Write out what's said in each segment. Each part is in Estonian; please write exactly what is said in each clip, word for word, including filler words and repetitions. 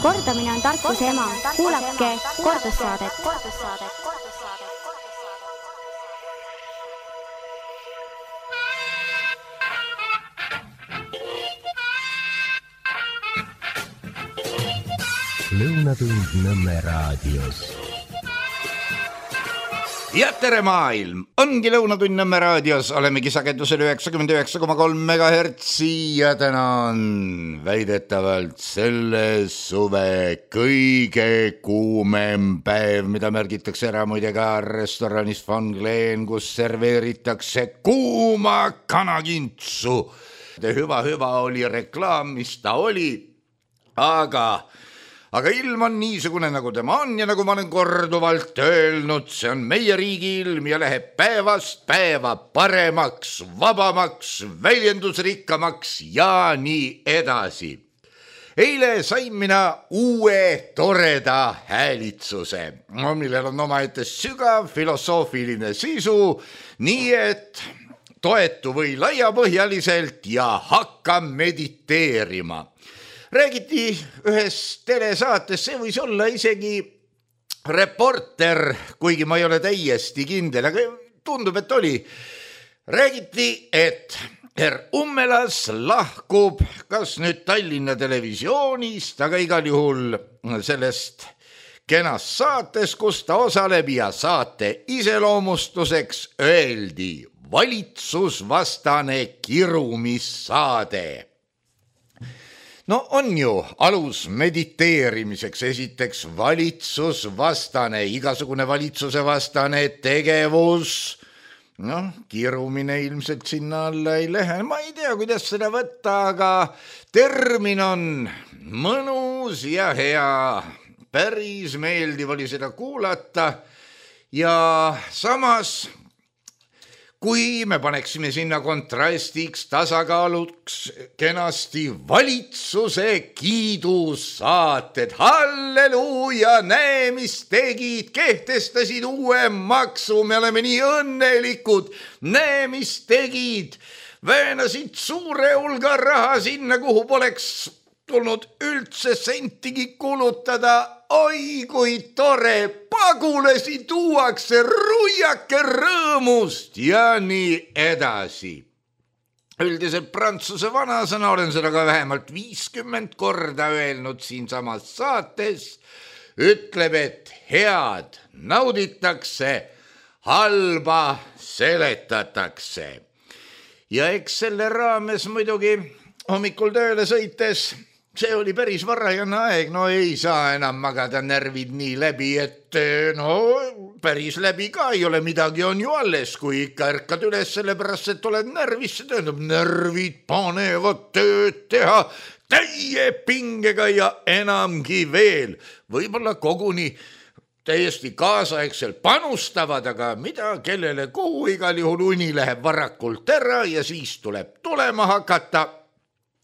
Kordamine on tarkuse ema. Kuulake kordussaadet. Lõunatund Nõmme raadios. Ja tere maailm! Ongi Lõunatund Nõmme raadios. Olemegi sagedusel üheksakümmend üheksa koma kolm megahertsi ja täna on väidetavalt selle suve kõige kuumem päev, mida märgitakse ära muide ka restoranis Van Glen, kus serveeritakse kuuma kanakintsu. Hüva-hüva oli reklaam, mis ta oli, aga... Aga ilm on niisugune, nagu tema on ja nagu ma olen korduvalt öelnud, see on meie riigi ilm ja läheb päevast päeva paremaks, vabamaks, väljendusrikkamaks ja nii edasi. Eile sain mina uue toreda häälitsuse, millel on omaette sügav filosoofiline sisu, nii et toetu või laiapõhjaliselt ja hakka mediteerima. Räägiti ühes telesaates, see võis olla isegi reporter, kuigi ma ei ole täiesti kindel, aga tundub, et oli. Räägiti, et herr Ummelas lahkub kas nüüd Tallinna televisioonist, aga igal juhul sellest kenast saates, kus ta osaleb ja saate iseloomustuseks öeldi valitsusvastane kirumissaade. No on ju alus mediteerimiseks, esiteks valitsusvastane, igasugune valitsusevastane tegevus, noh, kirumine ilmselt sinna alla ei lähe, ma ei tea, kuidas seda võtta, aga termin on mõnus ja hea, päris meeldiv oli seda kuulata ja samas... Kui me paneksime sinna kontrastiks, tasakaaluks kenasti valitsuse kiidusaated. Halleluuja, näe, mis tegid, kehtestasid uue maksu, me oleme nii õnnelikud. Näe, mis tegid, väänasid suure hulga raha sinna, kuhu poleks tulnud üldse sentigi kulutada. Oi, kui tore, pagulasi tuuakse, ruiake rõõmust ja nii edasi. Üldiselt prantsuse vanasõna, olen seda ka vähemalt viiskümmend korda öelnud siin samas saates, ütleb, et head nauditakse, halba seletatakse. Ja eks selle raames muidugi hommikul tööle sõites... See oli päris varajane aeg, no ei saa enam magada, närvid nii läbi, et no päris läbi ka ei ole, midagi on ju alles, kui ikka ärkad üles sellepärast, et oled närvis, see tähendab, närvid panevad tööd teha täie pingega ja enamgi veel. Võib-olla koguni täiesti kaasaegselt panustavad, aga mida, kellele kuhu, igal juhul uni läheb varakult ära ja siis tuleb tulema hakata.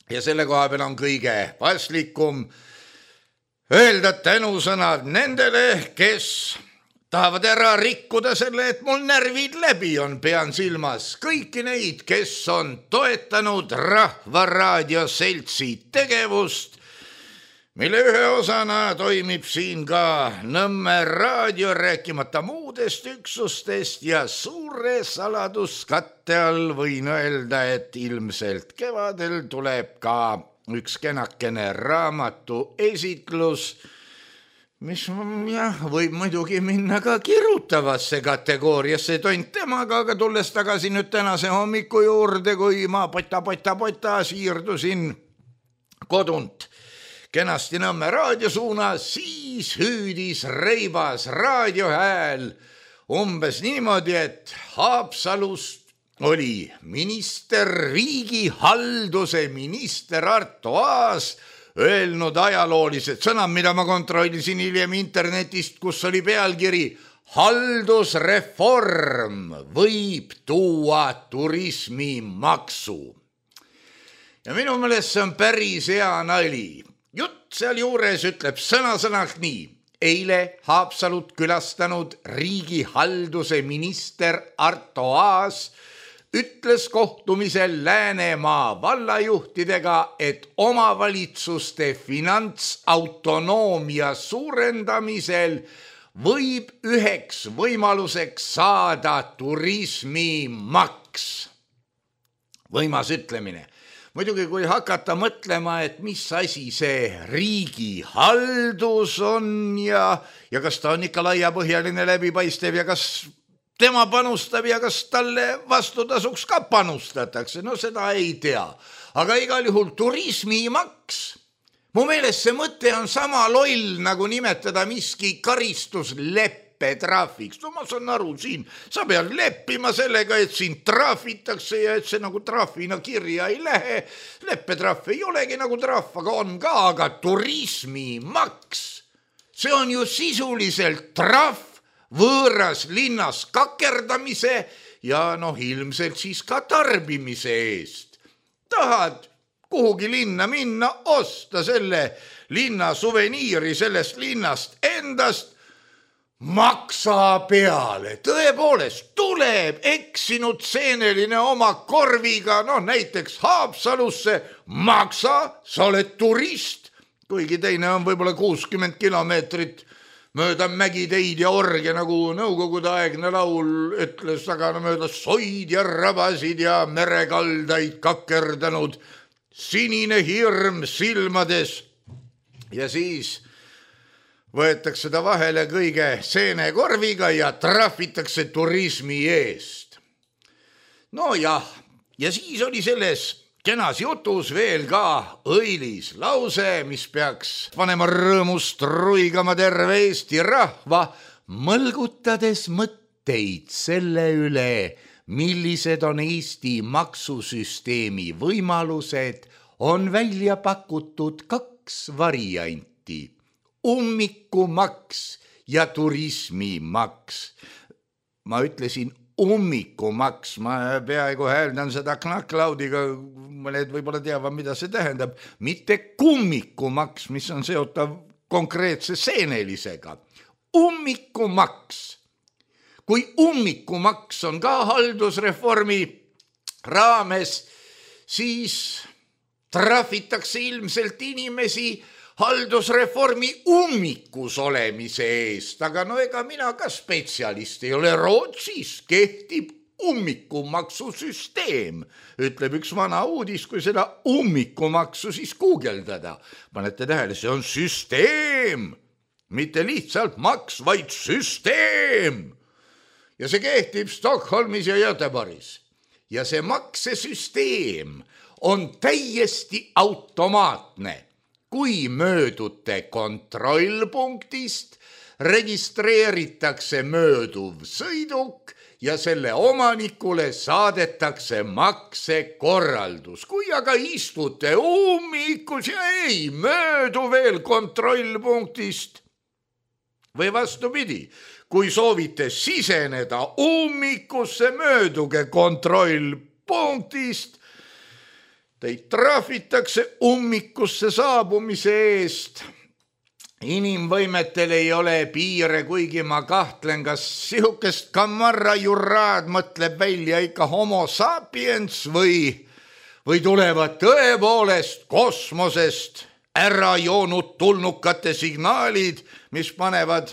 Ja selle koha peal on kõige paslikum öelda tänusõnad nendele, kes tahavad ära rikkuda selle, et mul närvid läbi on, pean silmas kõiki neid, kes on toetanud Rahva Raadio Seltsi tegevust, mille ühe osana toimib siin ka Nõmme raadio, rääkimata muudest üksustest ja suure saladuskatte all võin öelda, et ilmselt kevadel tuleb ka üks kenakene raamatu esitlus, mis jah, võib muidugi minna ka kirutavasse kategooriasse, tont temaga, aga tulles tagasi nüüd tänase hommiku juurde, kui ma pota-pota-pota siirdusin kodunt kenasti Nõmme raadio suunas, siis hüüdis reibas raadiohääl umbes niimoodi, et Haapsalust oli minister, riigihalduse minister Arto Aas öelnud ajaloolised sõnad, mida ma kontrollisin hiljem internetist, kus oli pealkiri haldusreform võib tuua turismimaksu. Ja minu meelest see on päris hea nali. Jutt seal juures ütleb sõna-sõnalt nii. Eile Haapsalut külastanud riigihalduse minister Arto Aas ütles kohtumisel Läänemaa vallajuhtidega, et omavalitsuste finantsautonoomia suurendamisel võib üheks võimaluseks saada turismimaks. Võimas ütlemine. Muidugi, kui hakata mõtlema, et mis asi see riigihaldus on ja, ja kas ta on ikka laiapõhjaline, läbipaistev ja kas tema panustab ja kas talle vastutasuks ka panustatakse, no seda ei tea. Aga igal juhul turismimaks. Mu meelest see mõte on sama loll, nagu nimetada miski karistusleppetrahviks. No ma saan aru siin, sa pead leppima sellega, et siin trahvitakse ja et see nagu trahvina kirja ei lähe. Leppetrahv ei olegi nagu trahv, aga on ka, aga turismimaks. See on ju sisuliselt trahv võõras linnas kakerdamise ja noh, ilmselt siis ka tarbimise eest. Tahad kuhugi linna minna, osta selle linna suveniiri sellest linnast endast, maksa peale. Tõepoolest, tuleb eksinud seeneline oma korviga, no näiteks Haapsalusse, maksa, sa oled turist, kuigi teine on võib-olla kuuskümmend kilomeetrit mööda mägiteid ja orge, nagu nõukogude aegne laul ütles, aga no mööda soid ja rabasid ja merekaldaid kakerdanud, sinine hirm silmades ja siis võetakse ta vahele kõige seenekorviga ja trahvitakse turismi eest. No jah, ja siis oli selles kenas jutus veel ka õilis lause, mis peaks panema rõõmust ruigama terve Eesti rahva, mõlgutades mõtteid selle üle, millised on Eesti maksusüsteemi võimalused, on välja pakutud kaks varianti, ummikumaks ja turismimaks. Ma ütlesin ummikumaks, ma peaaegu hääldan seda knacklaudiga, mõned võib-olla teavad, mida see tähendab, mitte kummikumaks, mis on seotav konkreetse seenelisega. Ummikumaks. Kui ummikumaks on ka haldusreformi raames, siis trahvitakse ilmselt inimesi haldusreformi ummikus olemise eest, aga no ega mina ka spetsialist ei ole. Rootsis kehtib ummikumaksusüsteem, ütleb üks vana uudis, kui seda ummikumaksu siis guugeldada. Panete tähele, see on süsteem, mitte lihtsalt maks, vaid süsteem. Ja see kehtib Stockholmis ja Göteborgis. Ja see maksesüsteem on täiesti automaatne. Kui möödute kontrollpunktist, registreeritakse mööduv sõiduk ja selle omanikule saadetakse maksekorraldus. Kui aga istute ummikus ja ei möödu veel kontrollpunktist või vastupidi, kui soovite siseneda ummikusse, mööduge kontrollpunktist, teid trahvitakse ummikusse saabumise eest. Inimvõimetel ei ole piire, kuigi ma kahtlen, kas sihukest kamarra juraad mõtleb välja ikka homo sapiens või, või tulevad tõepoolest kosmosest ära joonud tulnukate signaalid, mis panevad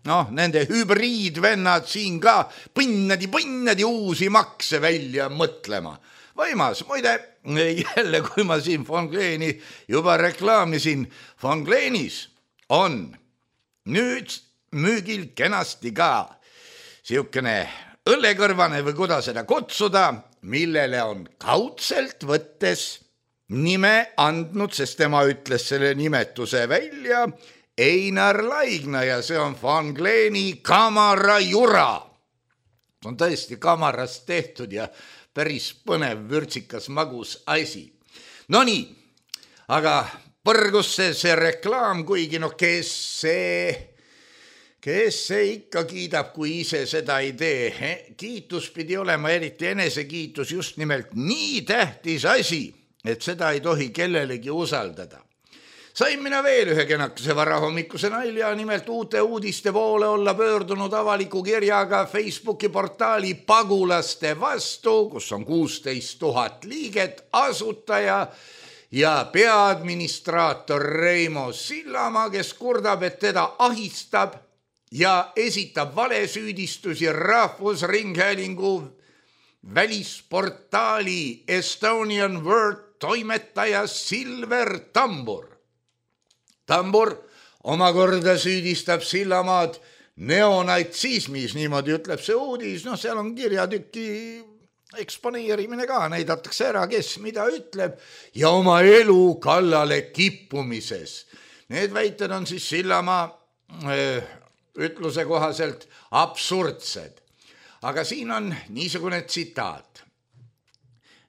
noh, nende hübriidvennad siin ka pinnadi-pinnadi uusi makse välja mõtlema. Võimas, muide, jälle kui ma siin Von Kleeni juba reklaamisin, Von Kleenis on nüüd müügil kenasti ka siukene õllekõrvane või kuidas seda kutsuda, millele on kaudselt võttes nime andnud, sest tema ütles selle nimetuse välja, Einar Laigna ja see on Von Kleeni kamarajura. On tõesti kamarast tehtud ja päris põnev, vürtsikas, magus asi. No nii, aga põrgus see, see reklaam, kuigi no kes see, kes see ikka kiidab, kui ise seda ei tee. He? Kiitus pidi olema, eriti enesekiitus, just nimelt nii tähtis asi, et seda ei tohi kellelegi usaldada. Sain mina veel ühe kenakese varahommikuse nalja, nimelt uute uudiste poole olla pöördunud avaliku kirjaga Facebooki portaali Pagulaste vastu, kus on kuusteist tuhat liiget, asutaja ja peaadministraator Reimo Sillamaa, kes kurdab, et teda ahistab ja esitab valesüüdistusi Rahvusringhäälingu välisportaali Estonian Word toimetaja Silver Tambur. Tambur omakorda süüdistab Sillamaad neonatsismis, niimoodi ütleb see uudis, noh seal on kirjatüki eksponeerimine ka, näidatakse ära, kes mida ütleb ja oma elu kallale kippumises. Need väited on siis Sillamaa öö, ütluse kohaselt absurdsed. Aga siin on niisugune tsitaat.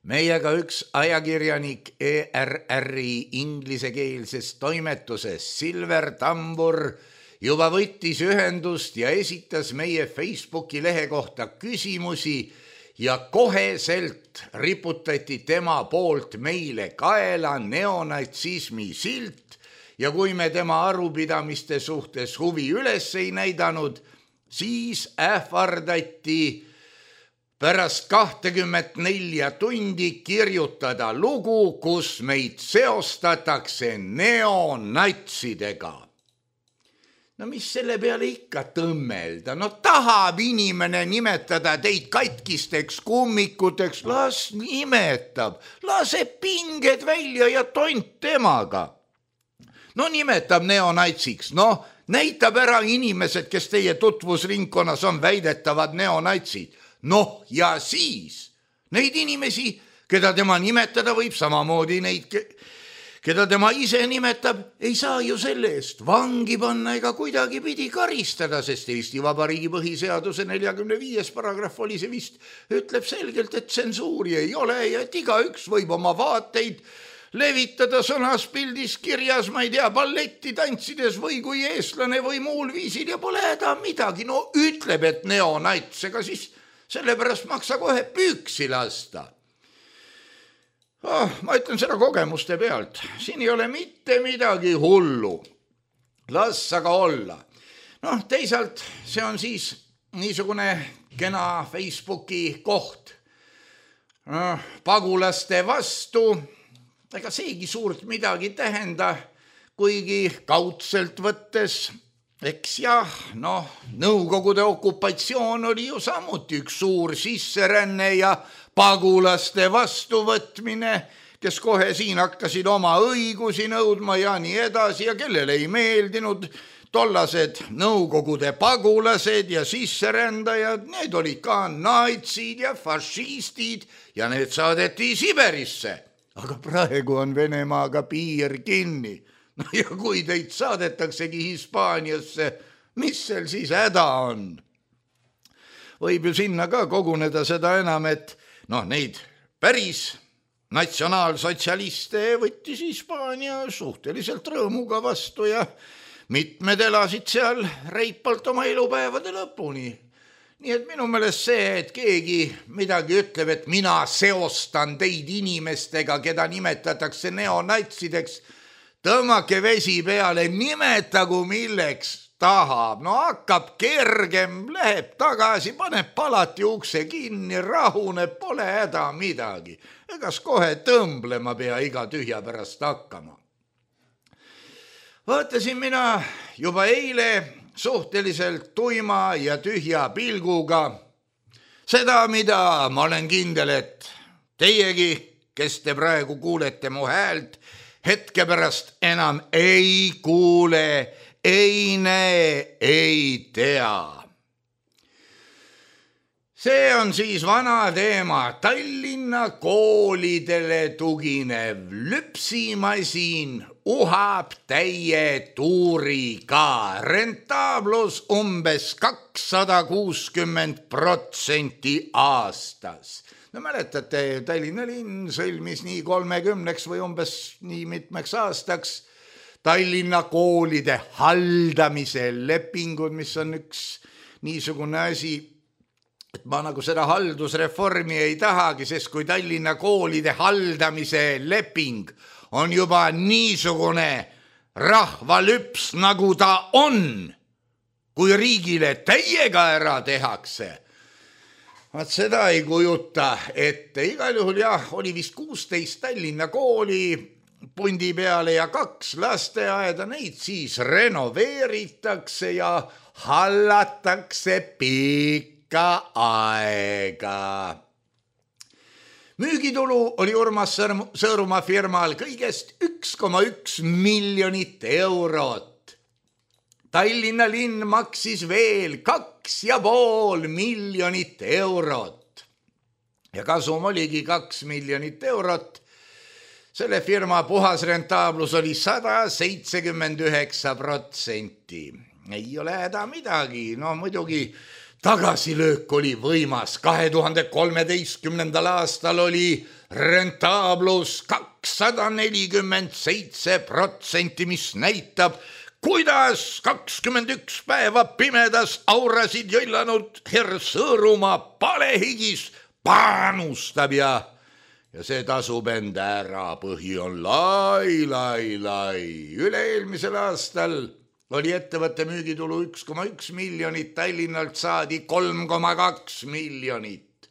Meiega üks ajakirjanik E R R-i inglisekeelses toimetuses Silver Tambur juba võttis ühendust ja esitas meie Facebooki lehe kohta küsimusi ja koheselt riputati tema poolt meile kaela neonatsismi silt ja kui me tema arupidamiste suhtes huvi üles ei näidanud, siis ähvardati pärast kahtekümmet nelja tundi kirjutada lugu, kus meid seostatakse neonatsidega. No mis selle peale ikka tõmmelda? No tahab inimene nimetada teid katkisteks kummikuteks, las nimetab, lase pinged välja ja tont temaga. No nimetab neonatsiks, no näitab ära inimesed, kes teie tutvusringkonnas on väidetavad neonatsid. Noh ja siis neid inimesi, keda tema nimetada võib, samamoodi neid, keda tema ise nimetab, ei saa ju selle eest vangi panna ega kuidagi pidi karistada, sest Eesti Vabariigi põhiseaduse neljakümne viies paragrahv oli see vist, ütleb selgelt, et tsensuuri ei ole ja et igaüks võib oma vaateid levitada sõnas, pildis, kirjas, ma ei tea, balletti tantsides või kui eestlane või muul viisil ja pole häda midagi. No ütleb, et neonats, ega siis sellepärast maksa kohe püksi lasta. Oh, ma ütlen seda kogemuste pealt. Siin ei ole mitte midagi hullu. Las aga olla. Noh, teisalt see on siis niisugune kena Facebooki koht. No, pagulaste vastu, ega seegi suurt midagi tähenda, kuigi kaudselt võttes. Eks jah, noh, Nõukogude okupatsioon oli ju samuti üks suur sisseränne ja pagulaste vastuvõtmine, kes kohe siin hakkasid oma õigusi nõudma ja nii edasi ja kellele ei meeldinud tollased Nõukogude pagulased ja sisserändajad, need olid ka natsid ja fašistid ja need saadeti Siberisse. Aga praegu on Venemaaga piir kinni. No ja kui teid saadetaksegi Hispaaniasse, mis seal siis häda on? Võib ju sinna ka koguneda seda enam, et noh, neid päris natsionaalsotsialiste võttis Hispaania suhteliselt rõõmuga vastu ja mitmed elasid seal reipalt oma elupäevade lõpuni. Nii et minu meelest see, et keegi midagi ütleb, et mina seostan teid inimestega, keda nimetatakse neonatsideks, tõmmake vesi peale, nimetagu milleks tahab. No hakkab kergem, läheb tagasi, paneb palati ukse kinni, rahuneb, pole häda midagi. Egas kohe tõmblema pea iga tühja pärast hakkama. Vaatasin mina juba eile suhteliselt tuima ja tühja pilguga seda, mida ma olen kindel, et teiegi, kes te praegu kuulete mu häält, hetke pärast enam ei kuule, ei näe, ei tea. See on siis vana teema, Tallinna koolidele tuginev lüpsimasin uhab täie tuuriga, rentaablus umbes kakssada kuuskümmend protsenti aastas. No mäletate, Tallinna linn sõlmis nii kolmekümneks või umbes nii mitmeks aastaks Tallinna koolide haldamise lepingud, mis on üks niisugune asi, et ma nagu seda haldusreformi ei tahagi, sest kui Tallinna koolide haldamise leping on juba niisugune rahvalüps, nagu ta on, kui riigile täiega ära tehakse. Vaat seda ei kujuta ette. Igal juhul jah, oli vist kuusteist Tallinna kooli pundi peale ja kaks lasteaeda, neid siis renoveeritakse ja hallatakse pikka aega. Müügitulu oli Urmas Sõõrumaa firmal kõigest üks koma üks miljonit eurot. Tallinna linn maksis veel kaks ja pool miljonit eurot. Ja kasum oligi kaks miljonit eurot. Selle firma puhas rentaablus oli sada seitsekümmend üheksa protsenti. Ei ole häda midagi, no muidugi tagasilöök oli võimas. kahe tuhande kolmeteistkümnendal aastal oli rentaablus kakssada nelikümmend seitse protsenti, mis näitab, kuidas kakskümmend üks päeva pimedas aurasid jõllanud herr Sõõrumaa palehigis panustab ja, ja see tasub enda ära. Põhi on lai, lai, lai. Üle-eelmisel aastal oli ettevõtte müügitulu üks koma üks miljonit, Tallinnalt saadi kolm koma kaks miljonit.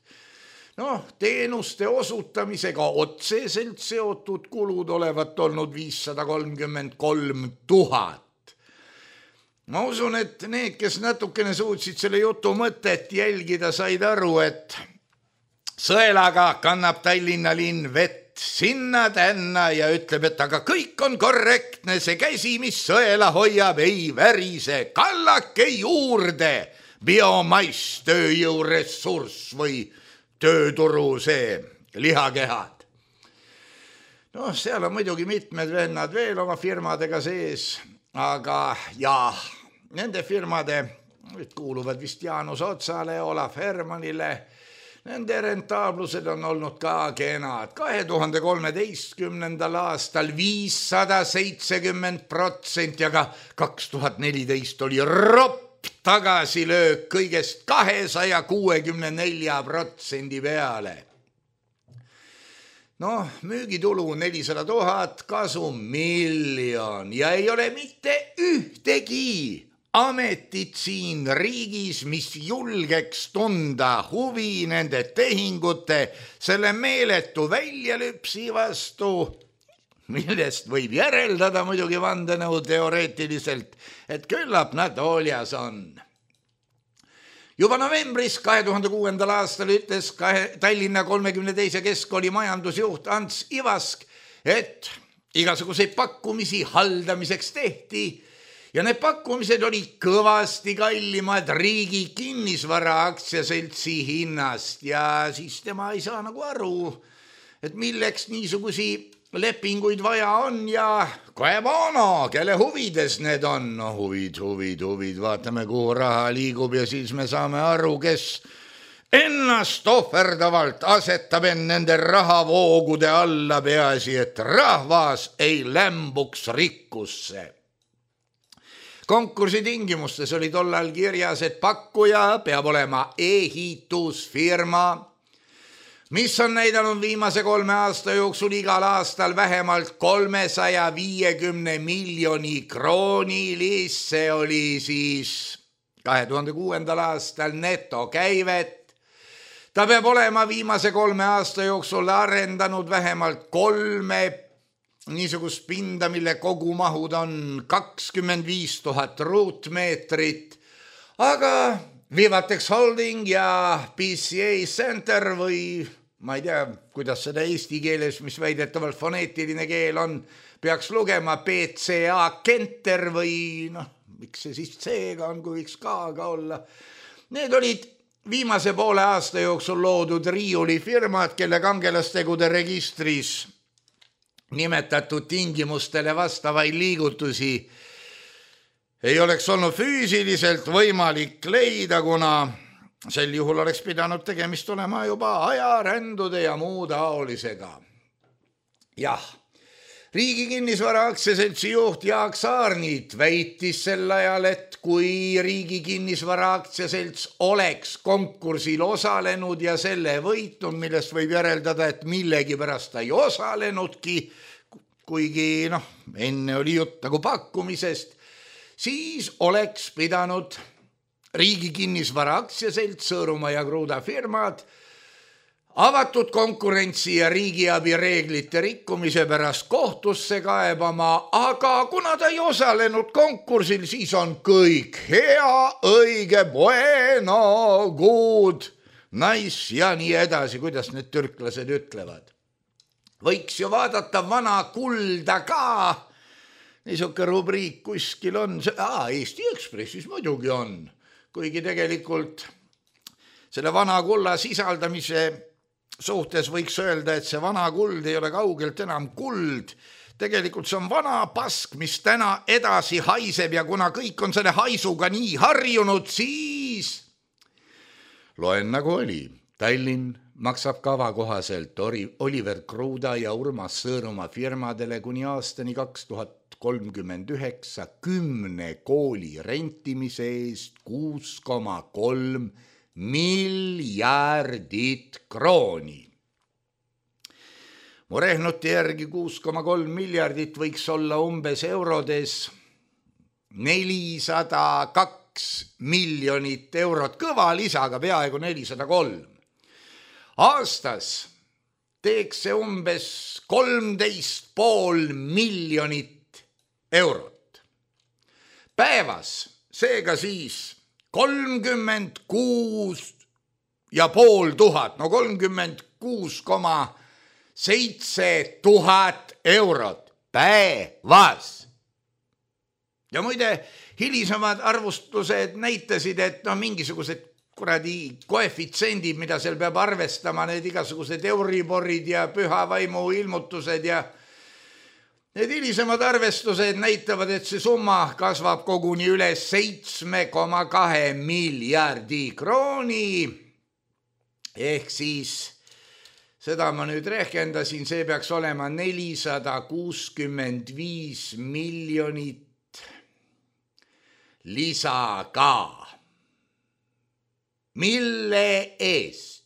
Noh, teenuste osutamisega otseselt seotud kulud olevat olnud viissada kolmkümmend kolm tuhat. Ma usun, et need, kes natukene suutsid selle jutu mõtet jälgida, said aru, et sõelaga kannab Tallinna linn vett sinna tänna ja ütleb, et aga kõik on korrektne, see käsi, mis sõela hoiab, ei värise, kallake juurde biomass, tööjõuressurss või tööturu see lihakehad. Noh, seal on muidugi mitmed vennad veel oma firmadega sees, aga jah, nende firmade kuuluvad vist Jaanus Otsale ja Olav Hermanile. Nende rentaablused on olnud ka kenad. kahe tuhande kolmeteistkümnendal aastal viissada seitsekümmend protsenti, aga kaks tuhat neliteist oli ropp tagasilöök kõigest kahesaja kuuekümne nelja protsendi peale. Noh, müügitulu nelisada tuhat, kasum miljon ja ei ole mitte ühtegi ametit siin riigis, mis julgeks tunda huvi nende tehingute selle meeletu väljalüpsi vastu, millest võib järeldada muidugi vandenõu teoreetiliselt, et küllap nad oljas on. Juba novembris kahe tuhande kuuendal aastal ütles Tallinna kolmekümne teise keskkooli majandusjuht Ants Ivask, et igasuguseid pakkumisi haldamiseks tehti ja need pakkumised olid kõvasti kallimad riigi kinnisvara aktsiaseltsi hinnast ja siis tema ei saa nagu aru, et milleks niisugusi lepinguid vaja on ja kohe bono, kelle huvides need on. No huvid, huvid, huvid, vaatame kuhu raha liigub ja siis me saame aru, kes ennast ohverdavalt asetab end nende rahavoogude alla, peaasi, et rahvas ei lämbuks rikkusse. Konkursi tingimustes oli tollal kirjas, et pakkuja peab olema ehitusfirma, mis on näidanud viimase kolme aasta jooksul igal aastal vähemalt kolmesaja viiekümne miljoni kroonilist. See oli siis kahe tuhande kuuendal aastal netokäivet. Ta peab olema viimase kolme aasta jooksul arendanud vähemalt kolme niisugust pinda, mille kogumahud on kakskümmend viis tuhat ruutmeetrit, aga Vivatex Holding ja P C A Center või ma ei tea, kuidas seda eesti keeles, mis väidetavalt foneetiline keel on, peaks lugema P C A Kenter või noh, miks see siis C-ga on, kui võiks K-ga olla. Need olid viimase poole aasta jooksul loodud riiulifirmad, kelle kangelastegude registris nimetatud tingimustele vastavaid liigutusi ei oleks olnud füüsiliselt võimalik leida, kuna sel juhul oleks pidanud tegemist olema juba ajarändude ja muu taolisega. Jah, Riigi Kinnisvara Aktsiaseltsi juht Jaak Saarniit väitis sel ajal, et kui Riigi Kinnisvara Aktsiaselts oleks konkursil osalenud ja selle võitnud, millest võib järeldada, et millegi pärast ta ei osalenudki, kuigi noh, enne oli jutt nagu pakkumisest, siis oleks pidanud Riigi Kinnisvara Aktsiaselts, Sõõrumaa ja Kruda firmad avatud konkurentsi ja riigiabi reeglite rikkumise pärast kohtusse kaebama, aga kuna ta ei osalenud konkursil, siis on kõik hea, õige, bueno, good, nice ja nii edasi, kuidas need türklased ütlevad. Võiks ju vaadata Vana kulda ka, niisuke rubriik kuskil on, Aa, Eesti Ekspressis muidugi on, kuigi tegelikult selle Vana kulla sisaldamise suhtes võiks öelda, et see vana kuld ei ole kaugelt enam kuld. Tegelikult see on vana pask, mis täna edasi haiseb ja kuna kõik on selle haisuga nii harjunud, siis loen nagu oli. Tallinn maksab kava kohaselt Oliver Kruda ja Urmas Sõõrumaa firmadele kuni aastani kaks tuhat kolmkümmend üheksa kümne kooli rentimise eest kuus koma kolm miljardit krooni. Mu rehnuti järgi kuus koma kolm miljardit võiks olla umbes eurodes nelisada kaks miljonit eurot, kõva lisaga peaaegu nelisada kolm. Aastas teeks see umbes kolmteist pool miljonit eurot. Päevas seega siis kolmkümmend kuus ja pool tuhat, no kolmkümmend kuus koma seitse tuhat eurot päevas. Ja muide, hilisemad arvustused näitasid, et no mingisugused kuradi koefitsendid, mida seal peab arvestama, need igasugused euriborid ja püha vaimu ilmutused ja need hilisemad arvestused näitavad, et see summa kasvab koguni üle seitsme koma kahe miljardi krooni. Ehk siis, seda ma nüüd rehkendasin, see peaks olema nelisada kuuskümmend viis miljonit lisaga. Mille eest?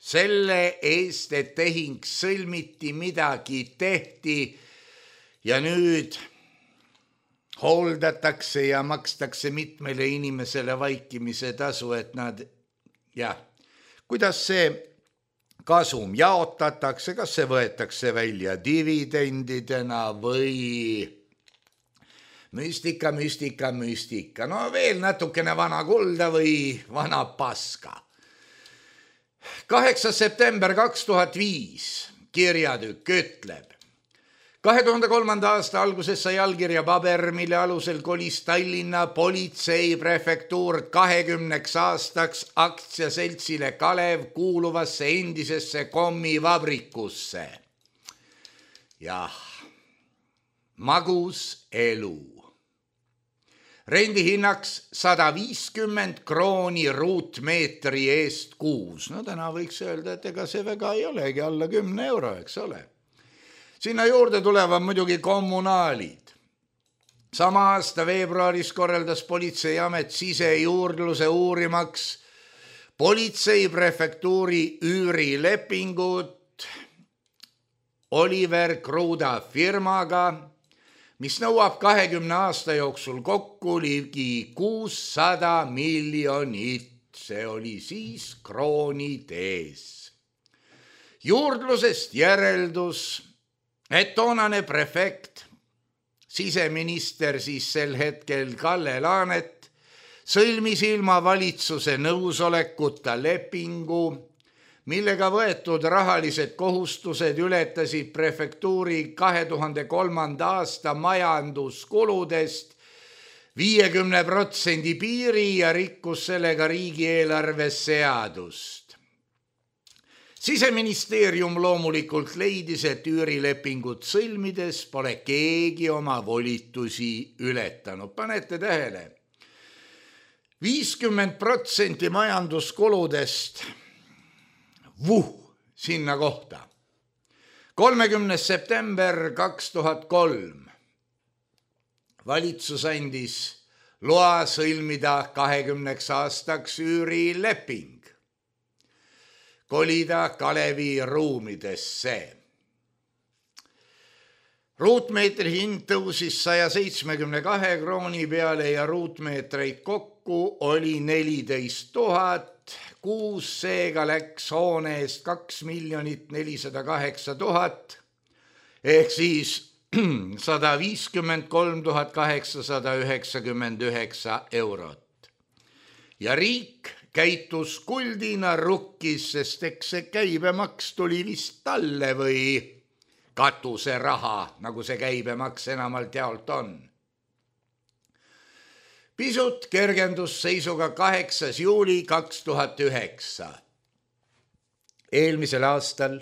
Selle eest, et tehing sõlmiti, midagi tehti ja nüüd hooldatakse ja makstakse mitmele inimesele vaikimise tasu, et nad, jah, kuidas see kasum jaotatakse, kas see võetakse välja dividendidena või müstika, müstika, müstika, no veel natukene vana kulda või vana paska. kaheksas september kaks tuhat viis kirjatükk ütleb. kahe tuhande kolmanda aasta alguses sai allkirja paber, mille alusel kolis Tallinna politsei prefektuur kahekümneks aastaks aktsiaseltsile Kalev kuuluvasse endisesse kommivabrikusse. Jah, magus elu. Rendihinnaks sada viiskümmend krooni ruutmeetri eest kuus. No täna võiks öelda, et ega see väga ei olegi alla kümne euro, eks ole. Sinna juurde tulevad muidugi kommunaalid. Sama aasta veebruaris korraldas politseiamet sisejuurdluse uurimaks politsei prefektuuri üürilepingut Oliver Kruda firmaga, mis nõuab kahekümne aasta jooksul kokku ligi kuussada miljonit. See oli siis kroonides. Juurdlusest järeldus, et toonane prefekt, siseminister siis sel hetkel Kalle Laanet, sõlmis ilma valitsuse nõusolekuta lepingu, millega võetud rahalised kohustused ületasid prefektuuri kahe tuhande kolmanda aasta majanduskuludest viiekümne protsendi piiri ja rikkus sellega riigieelarve seadust. Siseministeerium loomulikult leidis, et üürilepingut sõlmides pole keegi oma volitusi ületanud. Panete tähele, viiskümmend protsenti majanduskuludest vuh, sinna kohta. kolmekümnes september kaks tuhat kolm valitsus andis loa sõlmida kahekümneks aastaks üürileping, kolida Kalevi ruumidesse. ruutmeetri hind tõusis saja seitsmekümne kahe krooni peale ja ruutmeetreid kokku oli neliteist tuhat, kuus seega läks hoone eest kaks miljonit nelisada kaheksa tuhat ehk siis sada viiskümmend kolm tuhat kaheksasada üheksakümmend üheksa eurot. Ja riik käitus kuldina rukkis, sest eks see käibemaks tuli vist talle või katuseraha, nagu see käibemaks enamalt jaolt on. Pisut kergendus seisuga kaheksas juuli kaks tuhat üheksa. Eelmisel aastal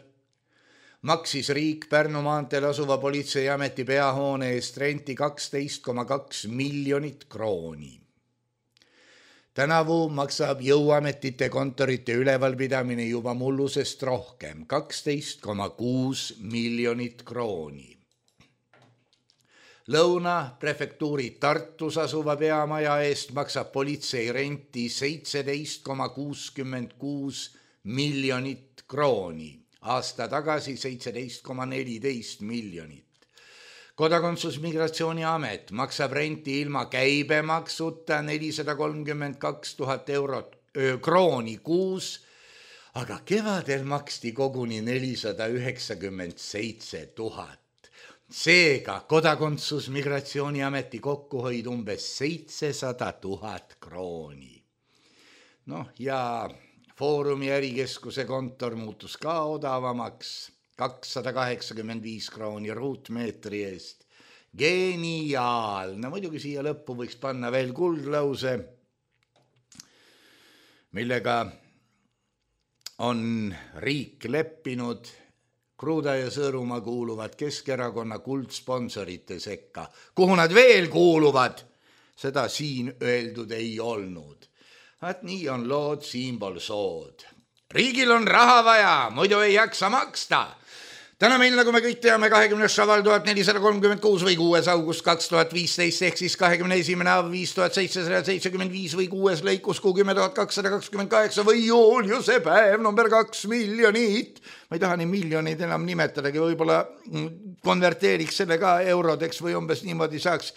maksis riik Pärnu maanteel asuva politseiameti peahoone eest renti kaksteist koma kaks miljonit krooni. Tänavu maksab jõuametite kontorite ülevalpidamine juba mullusest rohkem, kaksteist koma kuus miljonit krooni. Lõuna prefektuuri Tartus asuva peamaja eest maksab politsei renti seitseteist koma kuuskümmend kuus miljonit krooni, aasta tagasi seitseteist koma neliteist miljonit. Kodakondsusmigratsiooniamet maksab renti ilma käibemaksuta nelisada kolmkümmend kaks tuhat eurot öö, krooni kuus, aga kevadel maksti koguni nelisada üheksakümmend seitse tuhat. Seega Kodakondsusmigratsiooniameti kokkuhoid umbes seitsesada tuhat krooni. Noh, ja Foorumi ärikeskuse kontor muutus ka odavamaks, kakssada kaheksakümmend viis krooni ruutmeetri eest. Geniaalne, muidugi siia lõppu võiks panna veel kuldlause, millega on riik leppinud Kruda ja Sõõrumaa kuuluvad Keskerakonna kuldsponsorite sekka. Kuhu nad veel kuuluvad, seda siin öeldud ei olnud. Vaat nii on lood siinpool sood. Riigil on raha vaja, muidu ei jaksa maksta. Täna meil, nagu me kõik teame, kahekümnes šaval tuhat nelisada kolmkümmend kuus või kuues august kaks tuhat viisteist ehk siis kahekümne esimene av viis tuhat seitsesada seitsekümmend viis või kuues lõikuskuu kümme tuhat kakssada kakskümmend kaheksa või Juliuse päev number kaks miljonit. Ma ei taha neid miljoneid enam nimetadagi, võib-olla konverteeriks selle ka eurodeks või umbes niimoodi saaks,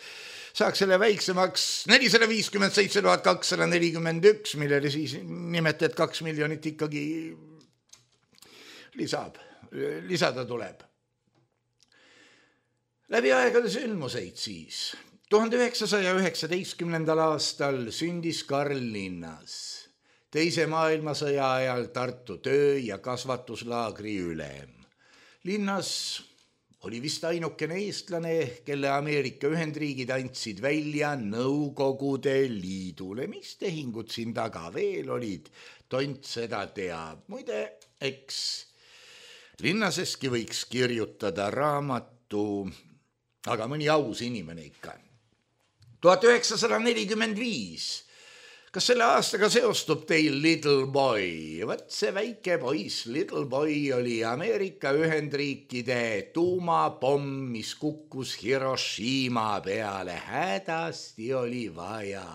saaks selle väiksemaks nelisada viiskümmend seitse tuhat kakssada nelikümmend üks, millele siis nimetad kaks miljonit ikkagi lisab. lisada tuleb. Läbi aegade sündmuseid siis. tuhande üheksasaja üheksateistkümnendal aastal sündis Karl Linnas, teise maailmasõja ajal Tartu töö- ja kasvatuslaagri ülem. Linnas oli vist ainukene eestlane, kelle Ameerika Ühendriigid andsid välja Nõukogude Liidule. Mis tehingud siin taga veel olid, tont seda teab. Muide, eks Linnaseski võiks kirjutada raamatu, aga mõni aus inimene ikka. tuhat üheksasada nelikümmend viis. Kas selle aastaga seostub teil Little Boy? Võt see väike poiss Little Boy oli Ameerika Ühendriikide tuumapomm, mis kukkus Hiroshima peale. Hädasti oli vaja.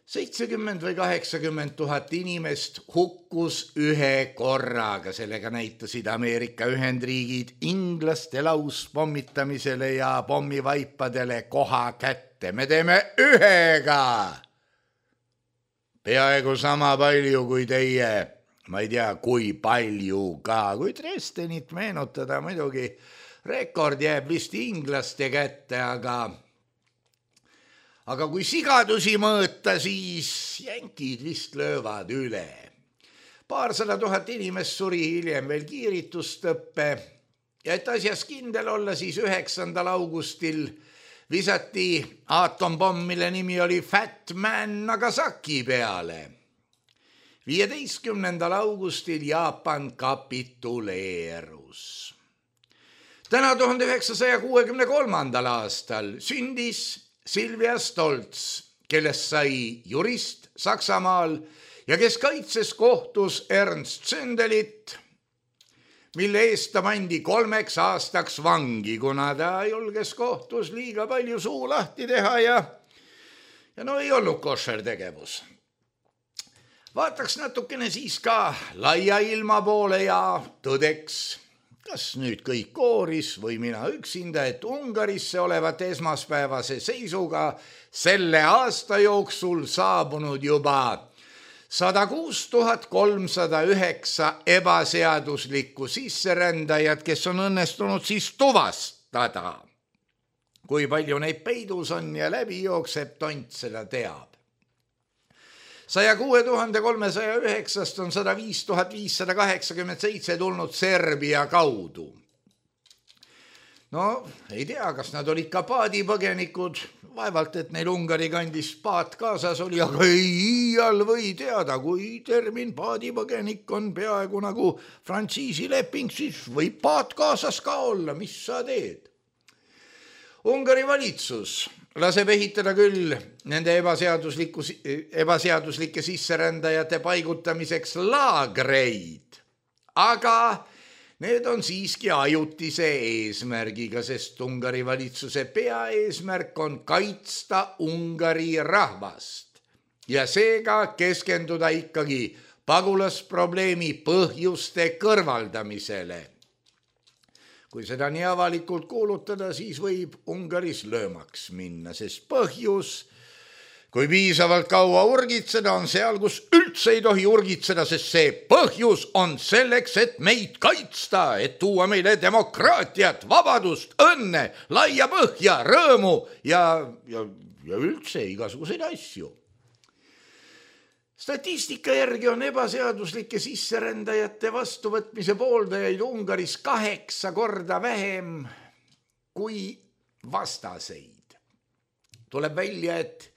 seitsekümmend või kaheksakümmend tuhat inimest hukkus ühe korraga. Sellega näitasid Ameerika Ühendriigid inglaste lauspommitamisele ja pommivaipadele koha kätte. Me teeme ühega peaaegu sama palju kui teie. Ma ei tea, kui palju ka. Kui Dresdenit meenutada, muidugi rekord jääb vist inglaste kätte, aga Aga kui sigadusi mõõta, siis jänkid vist löövad üle. Paarsada tuhat inimest suri hiljem veel kiiritustõppe ja et asjas kindel olla, siis üheksandal augustil visati aatompomm, mille nimi oli Fat Man Nagasaki peale. viieteistkümnendal augustil Jaapan kapituleerus. Täna tuhande üheksasaja kuuekümne kolmandal aastal sündis Silvia Stolz, kellest sai jurist Saksamaal ja kes kaitses kohtus Ernst Zündelit, mille eest ta pandi kolmeks aastaks vangi, kuna ta julges kohtus liiga palju suu lahti teha ja, ja no ei olnud košer tegevus. Vaataks natukene siis ka laia ilma poole ja tõdeks, kas nüüd kõik kooris või mina üksinda, et Ungarisse olevat esmaspäevase seisuga selle aasta jooksul saabunud juba sada kuus tuhat kolmsada üheksa ebaseaduslikku sisserändajat, kes on õnnestunud siis tuvastada. Kui palju neid peidus on ja läbi jookseb, tont seda teab. saja kuue tuhande kolmesaja üheksast on sada viis tuhat viissada kaheksakümmend seitse tulnud Serbia kaudu. No ei tea, kas nad olid ka paadipõgenikud, vaevalt, et neil Ungari kandis paat kaasas oli, aga ei iial või teada, kui termin paadipõgenik on peaaegu nagu frantsiisileping, siis võib paat kaasas ka olla, mis sa teed. Ungari valitsus laseb ehitada küll nende ebaseadusliku, ebaseaduslike sisserändajate paigutamiseks laagreid, aga need on siiski ajutise eesmärgiga, sest Ungari valitsuse peaeesmärk on kaitsta Ungari rahvast ja seega keskenduda ikkagi pagulasprobleemi põhjuste kõrvaldamisele. Kui seda nii avalikult kuulutada, siis võib Ungaris löömaks minna, sest põhjus, kui piisavalt kaua urgitseda, on seal, kus üldse ei tohi urgitseda, sest see põhjus on selleks, et meid kaitsta, et tuua meile demokraatiat, vabadust, õnne, laia põhja, rõõmu ja, ja, ja üldse igasuguseid asju. Statistika järgi on ebaseaduslike sisserändajate vastuvõtmise pooldajaid Ungaris kaheksa korda vähem kui vastaseid. Tuleb välja, et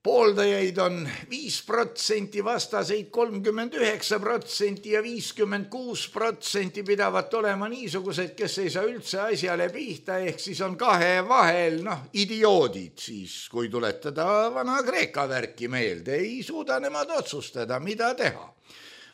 pooldajaid on viis protsenti, vastaseid kolmkümmend üheksa protsenti ja viiskümmend kuus protsenti pidavat olema niisugused, kes ei saa üldse asjale pihta, ehk siis on kahe vahel, noh, idioodid siis, kui tuletada vana Kreeka värki meelde, ei suuda nemad otsustada, mida teha.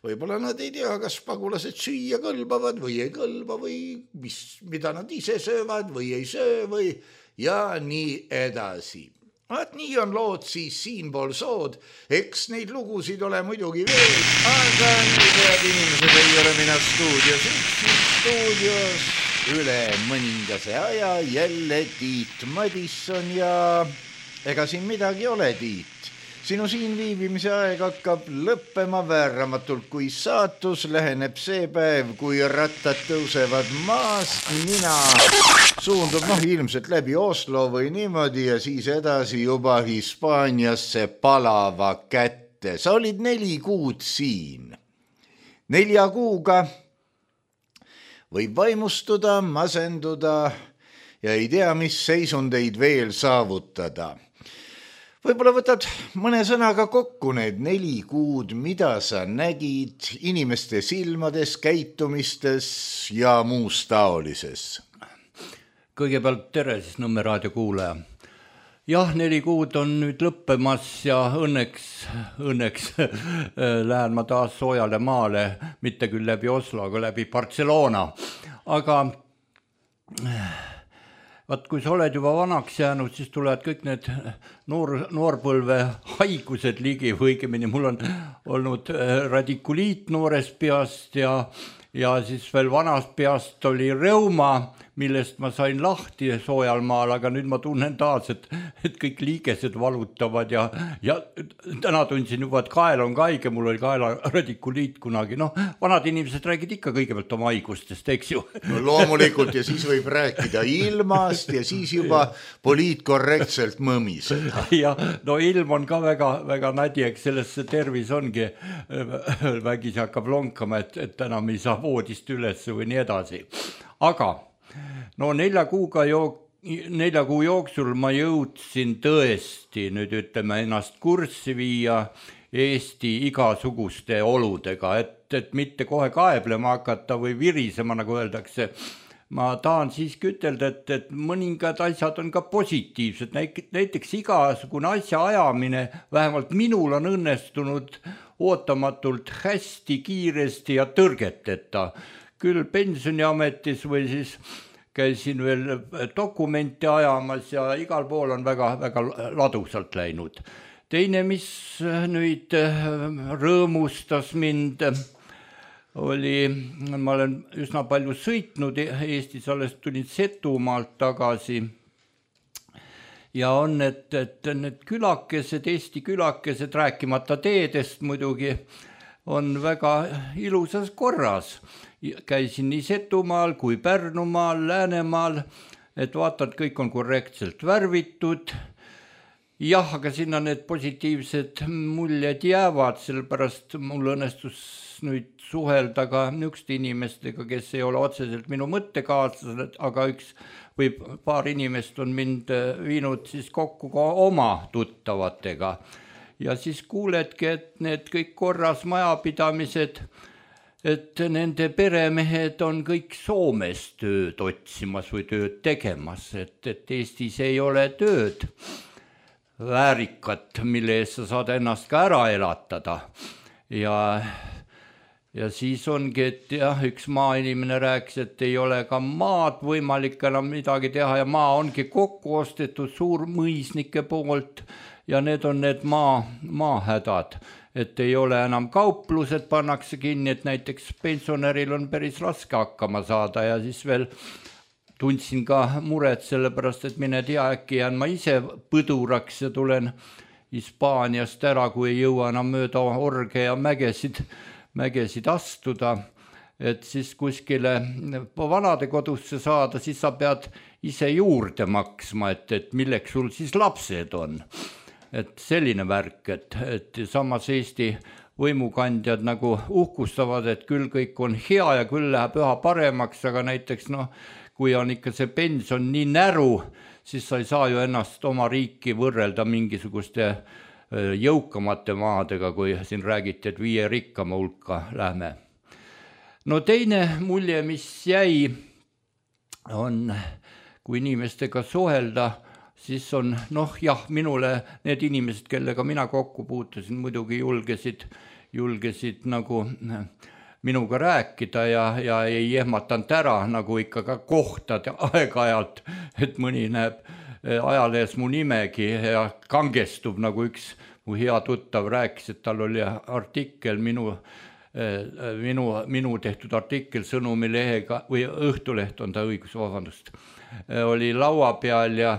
Võib-olla nad ei tea, kas pagulased süüa kõlbavad või ei kõlba või mis, mida nad ise söövad või ei söö või ja nii edasi. Vaat nii on lood siis siinpool sood, eks neid lugusid ole muidugi veel, aga nii tead inimesed ei ole mina stuudios, stuudios üle mõningase aja jälle Tiit Madisson ja ega siin midagi ole, Tiit. Sinu siin viibimise aeg hakkab lõppema vääramatult, kui saatus läheneb see päev, kui rattad tõusevad maast, mina suundub noh ilmselt läbi Oslo või niimoodi ja siis edasi juba Hispaaniasse palava kätte. Sa olid neli kuud siin. Nelja kuuga võib vaimustuda, masenduda ja ei tea, mis seisundeid veel saavutada. Võib-olla võtad mõne sõnaga kokku need neli kuud, mida sa nägid inimeste silmades, käitumistes ja muus taolises. Kõigepealt tere siis Nõmme raadio kuulaja. Jah, neli kuud on nüüd lõppemas ja õnneks, õnneks lähen ma taas soojale maale, mitte küll läbi Oslo, aga läbi Barcelona. Aga vaat kui sa oled juba vanaks jäänud, siis tulevad kõik need noor, noorpõlve haigused ligi, või õigemini mul on olnud radikuliit noorest peast ja, ja siis veel vanast peast oli reuma, millest ma sain lahti soojal maal, aga nüüd ma tunnen taas, et, et kõik liigesed valutavad ja, ja täna tundsin juba, et kael on ka haige, mul oli kaela radikuliit kunagi. Noh, vanad inimesed räägid ikka kõigepealt oma haigustest, eks ju? No loomulikult ja siis võib rääkida ilmast ja siis juba poliitkorrektselt mõmiseda. Ja no ilm on ka väga, väga nädi, eks sellest see tervis ongi vägisi hakkab lonkama, et, et enam ei saa voodist üles või nii edasi. Aga no nelja kuuga jook, nelja kuu jooksul ma jõudsin tõesti nüüd ütleme ennast kurssi viia Eesti igasuguste oludega, et, et mitte kohe kaeblema hakata või virisema, nagu öeldakse. Ma tahan siiski ütelda, et, et mõningad asjad on ka positiivsed, näiteks igasugune asja ajamine, vähemalt minul on õnnestunud ootamatult hästi kiiresti ja tõrgeteta. Küll pensioniametis või siis käisin veel dokumente ajamas ja igal pool on väga, väga ladusalt läinud. Teine, mis nüüd rõõmustas mind, oli, ma olen üsna palju sõitnud Eestis, alles tulin Setumaalt tagasi ja on, et, et need külakesed, Eesti külakesed, rääkimata teedest muidugi, on väga ilusas korras. Käisin nii Setumaal kui Pärnumaal, Läänemaal, et vaatad, kõik on korrektselt värvitud. Jah, aga sinna need positiivsed muljed jäävad, sellepärast mul õnnestus nüüd suhelda ka niisuguste inimestega, kes ei ole otseselt minu mõttekaaslased, aga üks või paar inimest on mind viinud siis kokku ka oma tuttavatega. Ja siis kuuledki, et need kõik korras majapidamised, et nende peremehed on kõik Soomes tööd otsimas või tööd tegemas, et, et Eestis ei ole tööd väärikat, mille eest sa saad ennast ka ära elatada. Ja, ja siis ongi, et jah, üks maainimene rääkis, et ei ole ka maad võimalik enam midagi teha ja maa ongi kokku ostetud suurmõisnike poolt ja need on need maa, maahädad, et ei ole enam kauplused, pannakse kinni, et näiteks pensionäril on päris raske hakkama saada ja siis veel tundsin ka muret sellepärast, et mine tea, äkki jään ma ise põduraks ja tulen Hispaaniast ära, kui ei jõua enam mööda orge ja mägesid, mägesid astuda, et siis kuskile vanade kodusse saada, siis sa pead ise juurde maksma, et, et milleks sul siis lapsed on. Et selline värk, et, et samas Eesti võimukandjad nagu uhkustavad, et küll kõik on hea ja küll läheb üha paremaks, aga näiteks noh, kui on ikka see pension nii näru, siis sa ei saa ju ennast oma riiki võrrelda mingisuguste jõukamate maadega, kui siin räägiti, et viie rikkama hulka lähme. No teine mulje, mis jäi, on, kui inimestega suhelda, siis on, noh jah, minule need inimesed, kellega mina kokku puutusin, muidugi julgesid, julgesid nagu minuga rääkida ja, ja ei ehmatanud ära, nagu ikka ka kohtad aeg-ajalt, et mõni näeb ajalehes mu nimegi ja kangestub, nagu üks mu hea tuttav rääkis, et tal oli artikkel minu, minu, minu tehtud artikkel Sõnumilehega, või Õhtuleht on ta õigus, vabandust, oli laua peal ja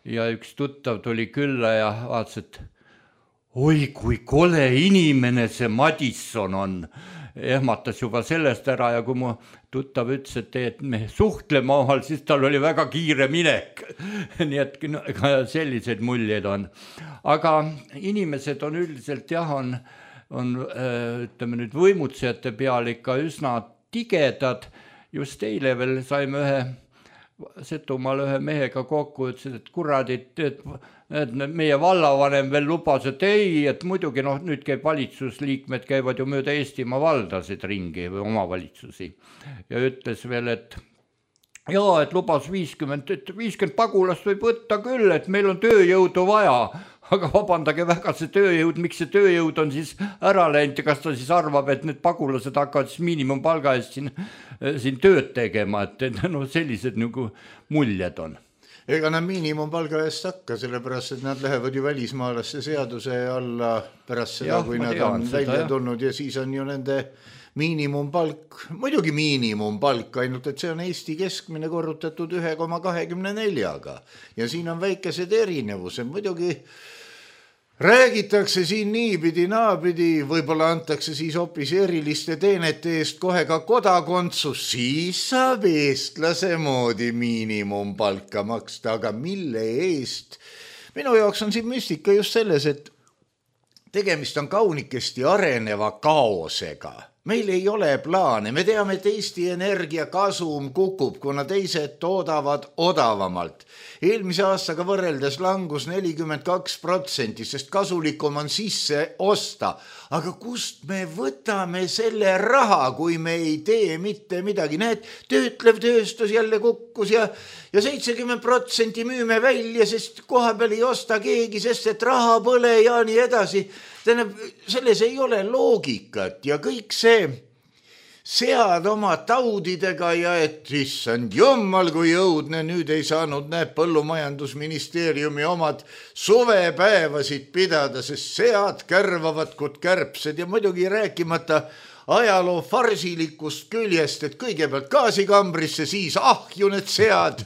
ja üks tuttav tuli külla ja vaatas, et oi, kui kole inimene see Madisson on. Ehmatas juba sellest ära ja kui mu tuttav ütles, et, et me suhtleme omalt, siis tal oli väga kiire minek. Nii et sellised muljeid on. Aga inimesed on üldiselt jah, on, on ütleme nüüd võimutsejate peal ikka üsna tigedad. Just eile veel saime ühe Setumaal ühe mehega kokku, ütles, et kuradid, et, et meie vallavanem veel lubas, et ei, et muidugi noh, nüüd käib valitsusliikmed, käivad ju mööda Eestimaa valdasid ringi või omavalitsusi ja ütles veel, et jaa, et lubas viiskümmend, et viiskümmend pagulast võib võtta küll, et meil on tööjõudu vaja, aga vabandage väga see tööjõud, miks see tööjõud on siis ära läinud ja kas ta siis arvab, et need pagulased hakkavad siis miinimumpalga eest siin, siin tööd tegema, et no sellised nagu muljed on. Ega nad miinimumpalga eest hakka, sellepärast, et nad lähevad ju välismaalaste seaduse alla pärast seda, ja, kui nad on seda, välja tulnud ja siis on ju nende miinimumpalk, muidugi miinimumpalk, ainult et see on Eesti keskmine korrutatud üks koma kakskümmend neli ja siin on väikesed erinevused, muidugi räägitakse siin niipidi, naapidi, võib-olla antakse siis hoopis eriliste teenete eest kohe ka kodakondsus, siis saab eestlase moodi miinimumpalka maksta, aga mille eest? Minu jaoks on siin müstika just selles, et tegemist on kaunikesti areneva kaosega. Meil ei ole plaane, me teame, et Eesti Energia kasum kukub, kuna teised toodavad odavamalt. Eelmise aastaga võrreldes langus nelikümmend kaks protsenti, sest kasulikum on sisse osta. Aga kust me võtame selle raha, kui me ei tee mitte midagi? Näed, töötlev tööstus jälle kukkus ja, ja seitsekümmend protsenti müüme välja, sest koha peal ei osta keegi, sest et raha põle ja nii edasi. Tähendab, selles ei ole loogikat ja kõik see sead oma taudidega ja et issand jummal kui õudne, nüüd ei saanud näeb põllumajandusministeeriumi omad suvepäevasid pidada, sest sead kärvavad kui kärbsed ja muidugi rääkimata ajaloo farsilikust küljest, et kõigepealt gaasikambrisse, siis ahju need sead.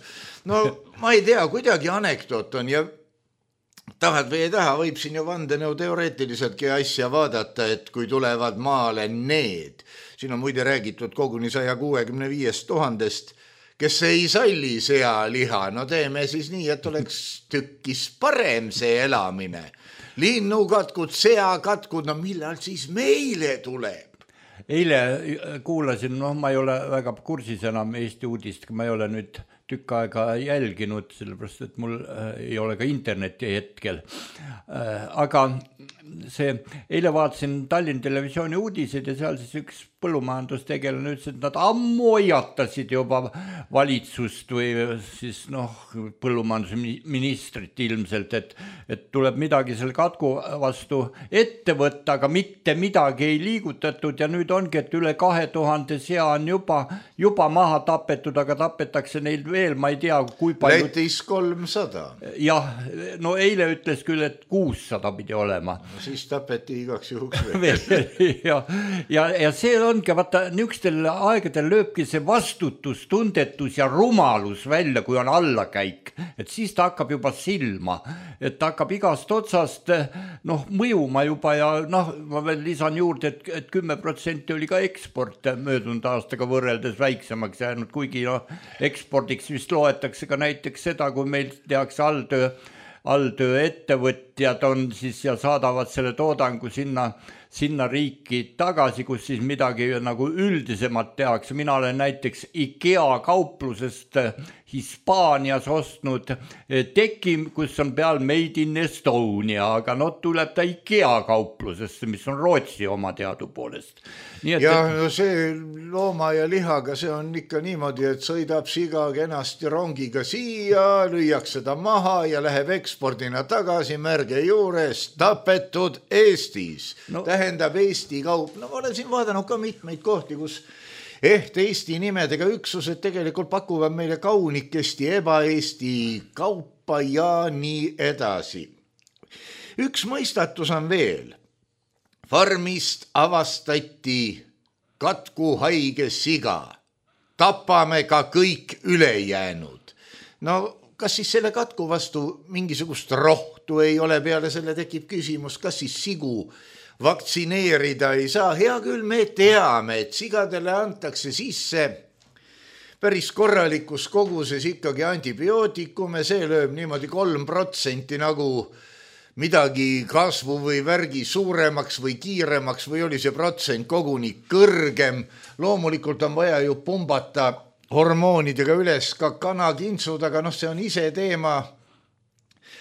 No ma ei tea, kuidagi anekdoot on ja tahad või ei taha, võib siin ju vandenõu teoreetiliseltki asja vaadata, et kui tulevad maale need, siin on muide räägitud koguni saja kuuekümne viiest tuhandest, kes ei salli sealiha, no teeme siis nii, et oleks tükkis parem see elamine. Linnukatkud, seakatkud, no millal siis meile tuleb? Eile kuulasin, noh ma ei ole väga kursis enam Eesti uudist, ma ei ole nüüd tükk aega jälginud, sellepärast et mul ei ole ka interneti hetkel. Aga see, eile vaatasin Tallinn televisiooni uudised ja seal siis üks põllumajandustegelane ütles, et nad ammu hoiatasid juba valitsust või siis noh, põllumajandusministrit ilmselt, et, et tuleb midagi selle katku vastu ette võtta, aga mitte midagi ei liigutatud ja nüüd ongi, et üle kahe tuhande sea on juba, juba maha tapetud, aga tapetakse neil veel, ma ei tea, kui palju. Lätis kolmsada. Jah, no eile ütles küll, et kuussada pidi olema. No siis tapeti igaks juhuks veel. ja, ja, ja see ongi, vaata, niisugustel aegadel lööbki see vastutus, tundetus ja rumalus välja, kui on allakäik, et siis ta hakkab juba silma, et ta hakkab igast otsast noh, mõjuma juba ja noh, ma veel lisan juurde, et, et kümme protsenti oli ka eksport möödunud aastaga võrreldes väiksemaks jäänud, kuigi noh, ekspordiks vist loetakse ka näiteks seda, kui meil tehakse alltöö, alltöö ettevõtjad on siis ja saadavad selle toodangu sinna sinna riiki tagasi, kus siis midagi nagu üldisemalt tehakse. Mina olen näiteks IKEA kauplusest Hispaanias ostnud teki, kus on peal Made in Estonia, aga no tuleb ta IKEA kauplusesse, mis on Rootsi oma teadu poolest. Nii et, ja no see looma ja lihaga, see on ikka niimoodi, et sõidab siga kenasti rongiga siia, lüüakse ta maha ja läheb ekspordina tagasi märge juures, tapetud Eestis. No, tähendab Eesti kaup, no ma olen siin vaadanud ka mitmeid kohti, kus eht Eesti nimedega üksused tegelikult pakuvad meile kaunikesti eba-Eesti kaupa ja nii edasi. Üks mõistatus on veel. Farmist avastati katkuhaige siga. Tapame ka kõik ülejäänud. No kas siis selle katku vastu mingisugust rohtu ei ole, peale selle tekib küsimus, kas siis sigu vaktsineerida ei saa. Hea küll, me teame, et sigadele antakse sisse päris korralikus koguses ikkagi antibiootikume, see lööb niimoodi kolm protsenti nagu midagi kasvu või värgi suuremaks või kiiremaks või oli see protsent koguni kõrgem. Loomulikult on vaja ju pumbata hormoonidega üles ka kanakintsud, aga noh, see on ise teema.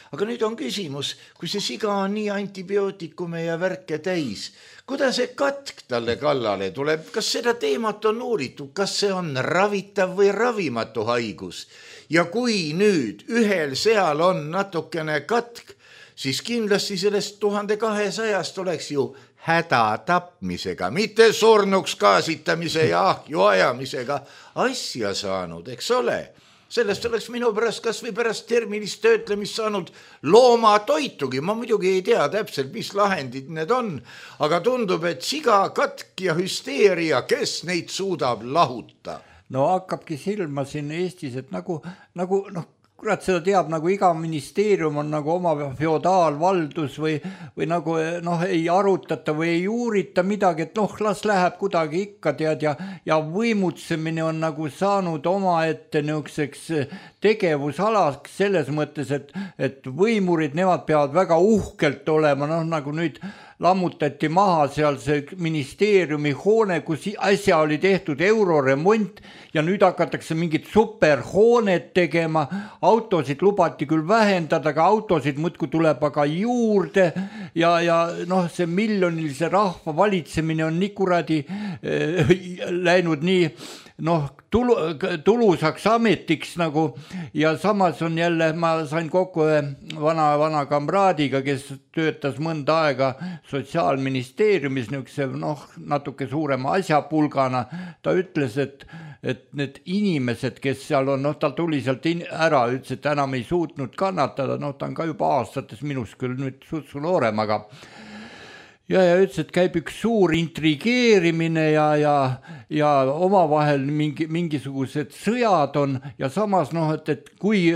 Aga nüüd on küsimus, kui see siga on nii antibiootikume ja värke täis, kuidas see katk talle kallale tuleb, kas seda teemat on uuritud, kas see on ravitav või ravimatu haigus ja kui nüüd ühel seal on natukene katk, siis kindlasti sellest tuhande kahesajast oleks ju häda tapmisega, mitte surnuks gaasitamise ja ahju ajamisega asja saanud, eks ole. Sellest oleks minu pärast kas või pärast terminist töötlemist saanud looma toitugi. Ma muidugi ei tea täpselt, mis lahendid need on, aga tundub, et siga, katk ja hüsteeria, kes neid suudab lahuta? No hakkabki silma siin Eestis, et nagu, nagu noh, kurat seda teab, nagu iga ministeerium on nagu oma feodaalvaldus või, või nagu noh, ei arutata või ei uurita midagi, et noh, las läheb kuidagi ikka tead ja, ja võimutsemine on nagu saanud oma ette niisuguseks tegevusalaks selles mõttes, et, et võimurid, nemad peavad väga uhkelt olema, noh nagu nüüd lammutati maha seal see ministeeriumi hoone, kus äsja oli tehtud euroremont ja nüüd hakatakse mingit superhoonet tegema. Autosid lubati küll vähendada, aga autosid muudkui tuleb aga juurde ja, ja noh, see miljonilise rahva valitsemine on nii kuradi äh, läinud nii noh, tulu, tulusaks ametiks nagu ja samas on jälle, ma sain kokku vana, vana kamraadiga, kes töötas mõnda aega sotsiaalministeeriumis niisuguse noh, natuke suurema asjapulgana. Ta ütles, et, et need inimesed, kes seal on, noh, ta tuli sealt ära, ütles, et enam ei suutnud kannatada, noh, ta on ka juba aastates minust küll nüüd sutsu noorem, aga ja, ja ütles, et käib üks suur intrigeerimine ja, ja, ja omavahel mingi, mingisugused sõjad on ja samas noh, et, et kui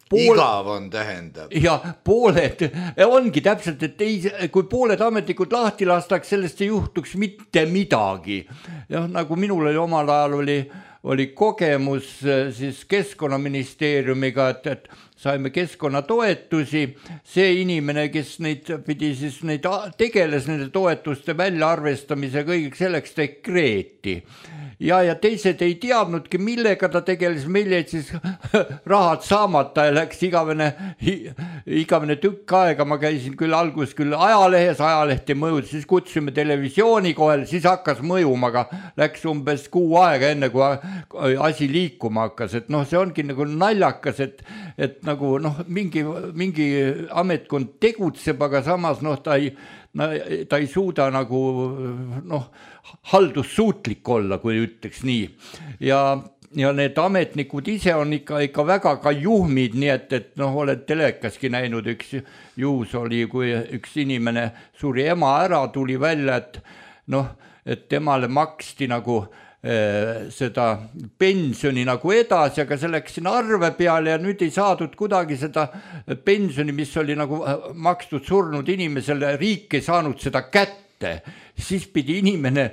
pool... igav on tähendab. Ja pooled, ongi täpselt, et ei, kui pooled ametnikud lahti lastaks, sellest ei juhtuks mitte midagi. Ja nagu minul oli omal ajal oli, oli kogemus siis Keskkonnaministeeriumiga, et, et saime keskkonnatoetusi, see inimene, kes neid pidi siis neid tegeles nende toetuste väljaarvestamise kõigeks selleks dekreeti. Ja, ja teised ei teadnudki, millega ta tegeles, meil jäid siis rahad saamata ja läks igavene, igavene tükk aega, ma käisin küll algus küll ajalehes, ajalehti mõjud, siis kutsusime televisiooni kohal, siis hakkas mõjuma, aga läks umbes kuu aega enne, kui asi liikuma hakkas, et noh, see ongi nagu naljakas, et, et nagu noh, mingi, mingi ametkond tegutseb, aga samas noh, ta ei, ta ei suuda nagu noh, haldussuutlik olla, kui ütleks nii. Ja, ja need ametnikud ise on ikka, ikka väga ka juhmid, nii et, et noh, oled telekaski näinud, üks juhus oli, kui üks inimene suri ema ära, tuli välja, et noh, et temale maksti nagu seda pensioni nagu edasi, aga see läks sinna arve peale ja nüüd ei saadud kuidagi seda pensioni, mis oli nagu makstud surnud inimesele, riik ei saanud seda kätte. Siis pidi inimene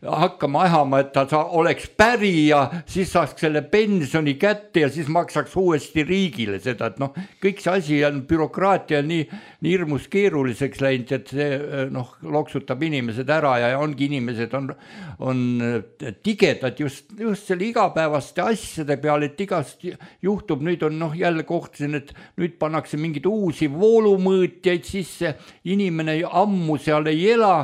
hakkama ajama, et ta sa, oleks päri ja siis saaks selle pensioni kätte ja siis maksaks uuesti riigile seda, et noh, kõik see asi on bürokraatia nii, nii hirmus keeruliseks läinud, et see noh, loksutab inimesed ära ja ongi inimesed on, on tigedad just, just selle igapäevaste asjade peale, et igast juhtub, nüüd on noh, jälle kohtusin, et nüüd pannakse mingeid uusi voolumõõtjaid sisse, inimene ammu seal ei ela,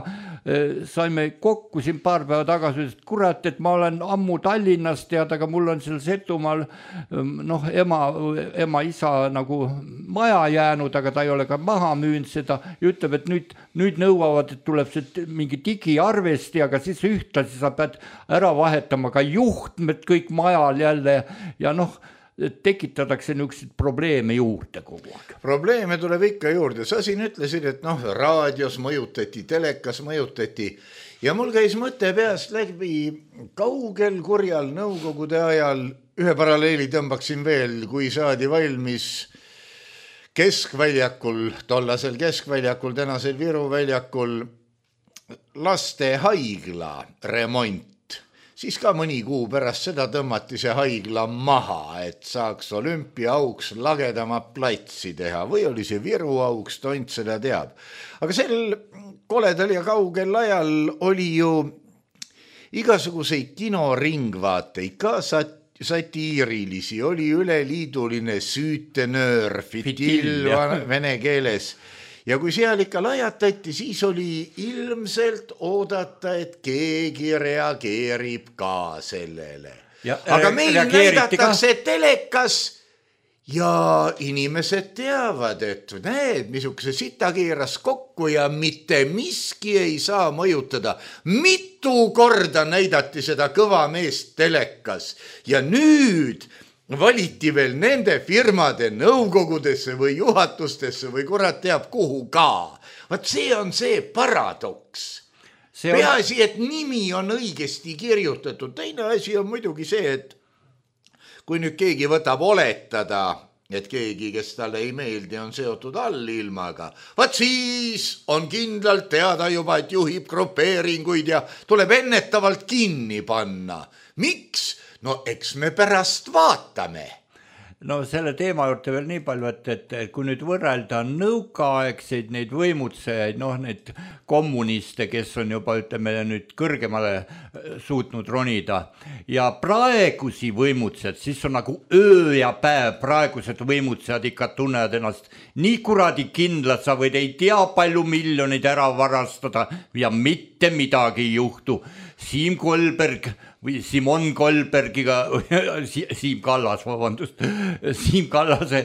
saime kokku siin paar päeva tagasi, et kurat, et ma olen ammu Tallinnast tead, aga mul on seal Setumaal noh, ema, ema isa nagu maja jäänud, aga ta ei ole ka maha müünud seda ja ütleb, et nüüd, nüüd nõuavad, et tuleb see mingi digiarvesti, aga siis ühtlasi sa pead ära vahetama ka juhtmed kõik majal jälle ja noh, tekitadakse niisuguseid probleeme juurde kogu aeg. Probleeme tuleb ikka juurde. Sa siin ütlesid, et noh, raadios mõjutati, telekas mõjutati ja mul käis mõte peast läbi kaugel kurjal nõukogude ajal. Ühe paralleeli tõmbaksin veel, kui saadi valmis keskväljakul, tollasel keskväljakul, tänasel Viru väljakul laste haigla remont. Siis ka mõni kuu pärast seda tõmmati see haigla maha, et saaks olümpia auks lagedama platsi teha või oli see Viru auks, tont seda teab. Aga sel koledal ja kaugel ajal oli ju igasuguseid kinoringvaateid, ka satiirilisi, oli üleliiduline süütenöör, fitil vene keeles. Ja kui seal ikka lajatati, siis oli ilmselt oodata, et keegi reageerib ka sellele. Ja, aga meil näidatakse telekas ja inimesed teavad, et näed, missuguse sita keeras kokku ja mitte miski ei saa mõjutada. Mitu korda näidati seda kõva meest telekas ja nüüd valiti veel nende firmade nõukogudesse või juhatustesse või kurat teab kuhu ka. Vaat see on see paradoks. See on... Peaasi, et nimi on õigesti kirjutatud. Teine asi on muidugi see, et kui nüüd keegi võtab oletada, et keegi, kes talle ei meeldi, on seotud allilmaga, vaat siis on kindlalt teada juba, et juhib grupeeringuid ja tuleb ennetavalt kinni panna. Miks? No eks me pärast vaatame. No selle teema juurde veel nii palju, et, et kui nüüd võrrelda nõukaaegseid neid võimutsejaid, noh neid kommuniste, kes on juba ütleme nüüd kõrgemale suutnud ronida ja praegusi võimutsejad, siis on nagu öö ja päev, praegused võimutsejad ikka tunnevad ennast nii kuradi kindlad, sa võid ei tea palju miljoneid ära varastada ja mitte mitte midagi ei juhtu. Siim Kolberg või Simon Kolbergiga, Siim Kallas, vabandust, Siim Kallase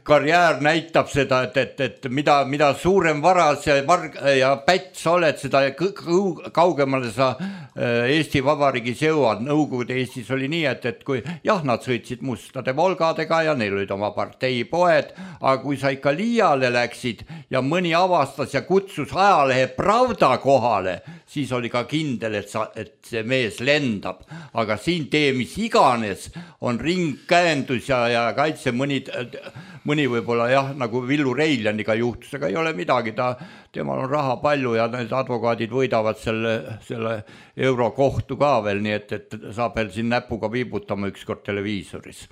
karjäär näitab seda, et, et, et mida, mida suurem varas ja, varg, ja pätt sa oled, seda kaugemale sa Eesti Vabariigis jõuad. Nõukogude Eestis oli nii, et, et kui jah, nad sõitsid mustade Volgadega ja neil olid oma partei poed, aga kui sa ikka liiale läksid ja mõni avastas ja kutsus ajalehe Pravda kohale, siis oli ka kindel, et, sa, et see mees lendab. Aga siin tee mis iganes on ringkäendus ja, ja kaitse mõni, mõni võib-olla jah, nagu Villu Reiljaniga juhtus, aga ei ole midagi, ta, temal on raha palju ja need advokaadid võidavad selle, selle eurokohtu ka veel, nii et, et saab veel siin näpuga viibutama ükskord televiisoris.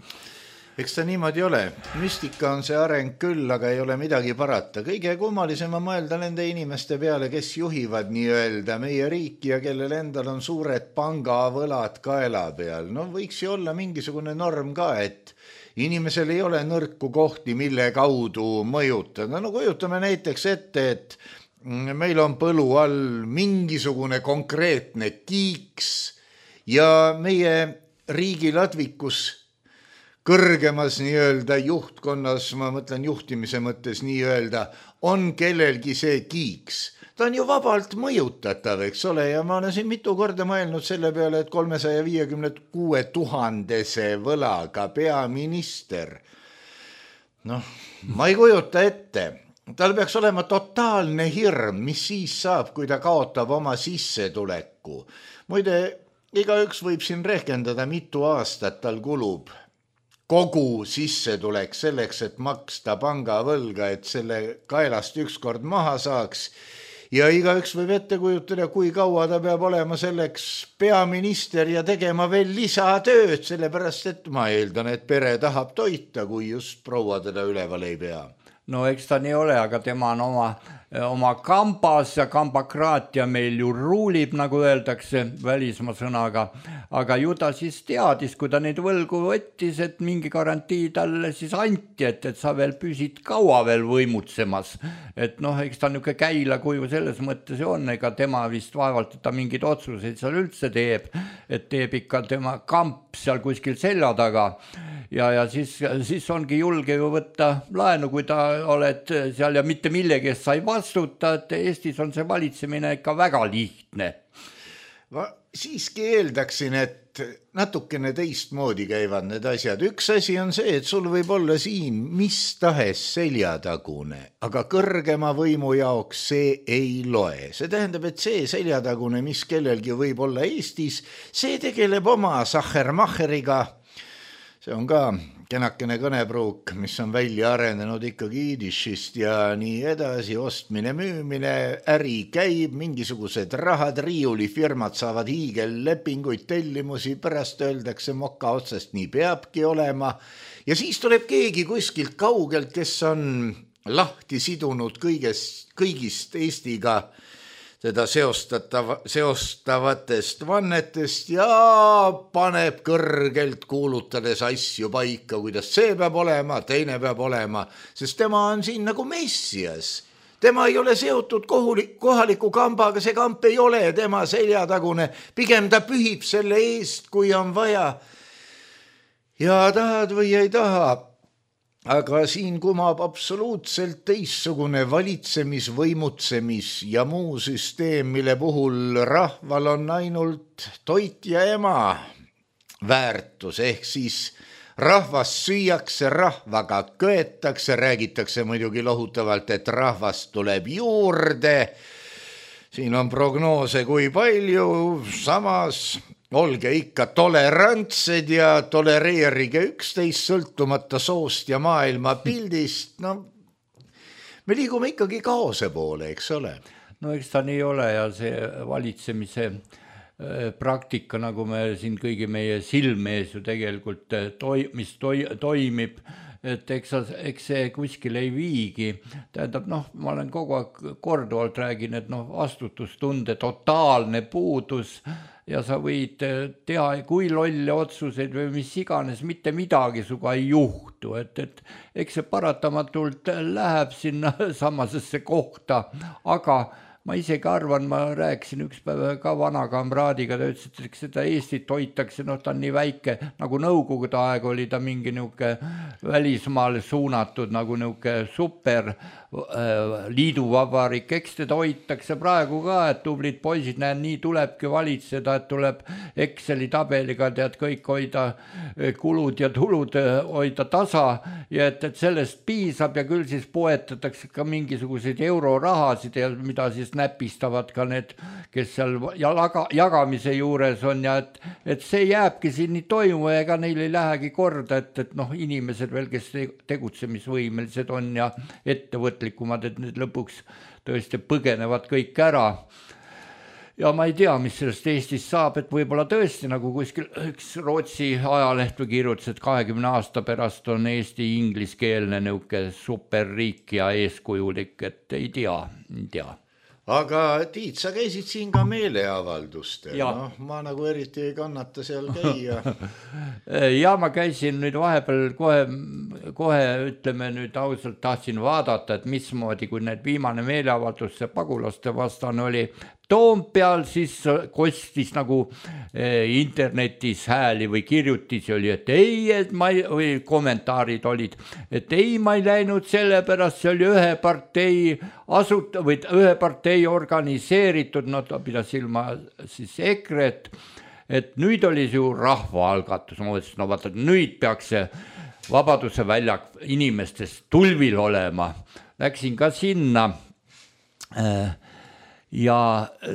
Eks ta niimoodi ole. Müstika on see areng küll, aga ei ole midagi parata. Kõige kummalisem on mõelda nende inimeste peale, kes juhivad nii-öelda meie riiki ja kellel endal on suured pangavõlad kaela peal. No võiks ju olla mingisugune norm ka, et inimesel ei ole nõrku kohti, mille kaudu mõjutada. No kujutame näiteks ette, et meil on põlu all mingisugune konkreetne kiiks ja meie riigi ladvikus kõrgemas nii-öelda juhtkonnas, ma mõtlen juhtimise mõttes nii-öelda, on kellelgi see kiiks. Ta on ju vabalt mõjutatav, eks ole, ja ma olen siin mitu korda mõelnud selle peale, et kolmesaja viiekümne kuue tuhandese võlaga peaminister. Noh, ma ei kujuta ette. Tal peaks olema totaalne hirm, mis siis saab, kui ta kaotab oma sissetuleku. Muide, igaüks võib siin rehkendada, mitu aastat tal kulub kogu sissetulek selleks, et maksta pangavõlga, et selle kaelast ükskord maha saaks. Ja igaüks võib ette kujutada, kui kaua ta peab olema selleks peaminister ja tegema veel lisatööd, sellepärast et ma eeldan, et pere tahab toita, kui just proua teda üleval ei pea. No eks ta nii ole, aga tema on oma, oma kambas ja kambakraatia meil ju ruulib, nagu öeldakse välismaa sõnaga, aga ju ta siis teadis, kui ta neid võlgu võttis, et mingi garantii talle siis anti, et, et sa veel püsid kaua veel võimutsemas. Et noh, eks ta niuke käila kuju selles mõttes on, ega tema vist vaevalt, et ta mingid otsuseid seal üldse teeb, et teeb ikka tema kamp seal kuskil selja taga. Ja, ja siis, siis ongi julge ju võtta laenu, kui ta oled seal ja mitte millegi eest sai vastuta, et Eestis on see valitsemine ikka väga lihtne. Ma siiski eeldaksin, et natukene teistmoodi käivad need asjad. Üks asi on see, et sul võib olla siin mis tahes seljatagune, aga kõrgema võimu jaoks see ei loe. See tähendab, et see seljatagune, mis kellelgi võib olla Eestis, see tegeleb oma Sachermacheriga. See on ka kenakene kõnepruuk, mis on välja arenenud ikkagi iidishist ja nii edasi, ostmine, müümine, äri käib, mingisugused rahad, riiulifirmad saavad hiigellepinguid, tellimusi, pärast öeldakse moka otsest, nii peabki olema. Ja siis tuleb keegi kuskilt kaugelt, kes on lahti sidunud kõigest, kõigist Eestiga teda seostavatest vannetest ja paneb kõrgelt kuulutades asju paika, kuidas see peab olema, teine peab olema, sest tema on siin nagu messias. Tema ei ole seotud kohaliku kambaga, see kamp ei ole tema seljatagune, pigem ta pühib selle eest, kui on vaja. Ja tahad või ei taha, aga siin kumab absoluutselt teissugune valitsemis, võimutsemis ja muu süsteem, mille puhul rahval on ainult toit ja ema väärtus, ehk siis rahvas süüakse, rahvaga köetakse, räägitakse muidugi lohutavalt, et rahvast tuleb juurde. Siin on prognoose kui palju, samas olge ikka tolerantsed ja tolereerige üksteist sõltumata soost ja maailma pildist. No, me liigume ikkagi kaose poole, eks ole? No eks ta nii ole ja see valitsemise praktika, nagu me siin kõigi meie silmees ju tegelikult toi, mis toi, toimib, et eks, eks see kuskil ei viigi. Tähendab, noh, ma olen kogu aeg korduvalt räägin, et noh, vastutustunde totaalne puudus ja sa võid teha kui lolle otsuseid või mis iganes, mitte midagi suga ei juhtu, et, et eks see paratamatult läheb sinna samasesse kohta, aga ma isegi arvan, ma rääkisin üks päev ka vana kamraadiga, ta ütles, et seda Eestit hoitakse, noh ta on nii väike, nagu nõukogude aeg oli ta mingi niuke välismaale suunatud nagu niuke super liiduvabariik, eks teda hoitakse praegu ka, et tublid poisid, näed, nii tulebki valitseda, et tuleb Exceli tabeliga, tead, kõik hoida kulud ja tulud hoida tasa ja et, et sellest piisab ja küll siis poetatakse ka mingisuguseid eurorahasid ja mida siis näpistavad ka need, kes seal jaga, jagamise juures on ja et, et see jääbki siin nii toimuma ja ega neil ei lähegi korda, et, et noh, inimesed veel, kes tegutsemisvõimelised on ja ettevõtlikumad, et nüüd lõpuks tõesti põgenevad kõik ära. Ja ma ei tea, mis sellest Eestis saab, et võib-olla tõesti nagu kuskil üks Rootsi ajaleht või kirjutas, et kahekümne aasta pärast on Eesti ingliskeelne nõuke superriik ja eeskujulik, et ei tea, ei tea. Aga Tiit, sa käisid siin ka meeleavaldustel, noh, ma nagu eriti ei kannata seal käia. Ja ma käisin nüüd vahepeal kohe, kohe ütleme nüüd ausalt tahtsin vaadata, et mismoodi, kui need viimane meeleavaldus see pagulaste vastane oli Toompeal, siis kostis nagu internetis hääli või kirjutisi oli, et ei, et ma ei, või kommentaarid olid, et ei, ma ei läinud selle pärast, see oli ühe partei asut- või ühe partei organiseeritud, no ta pidas ilma siis EKRE-t, et nüüd oli see ju rahvaalgatus, ma mõtlesin, no vaata, nüüd peaks see Vabaduse väljak inimestest tulvil olema. Läksin ka sinna äh, ja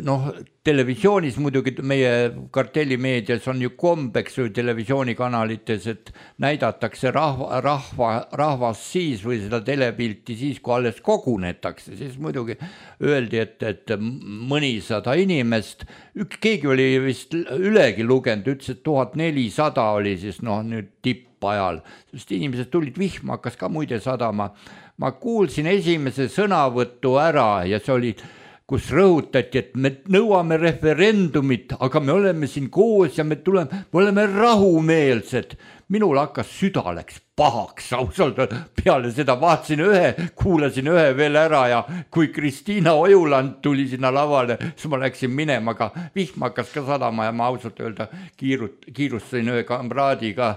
noh, televisioonis muidugi meie kartellimeedias on ju kombeks või televisioonikanalites, et näidatakse rahva, rahva, rahvas siis või seda telepilti siis, kui alles kogunetakse, siis muidugi öeldi, et, et mõnisada inimest, üks keegi oli vist ülegi lugenud, ütles, et tuhat nelisada oli siis noh, nüüd tippajal, sest inimesed tulid, vihma hakkas ka muide sadama. Ma kuulsin esimese sõnavõttu ära ja see oli kus rõhutati, et me nõuame referendumit, aga me oleme siin koos ja me tuleme, me oleme rahumeelsed. Minul hakkas süda läks pahaks, ausalt peale seda vaatasin ühe, kuulasin ühe veel ära ja kui Kristiina Ojuland tuli sinna lavale, siis ma läksin minema, aga vihma hakkas ka sadama ja ma ausalt öelda kiirut, kiirustasin ühe kamraadiga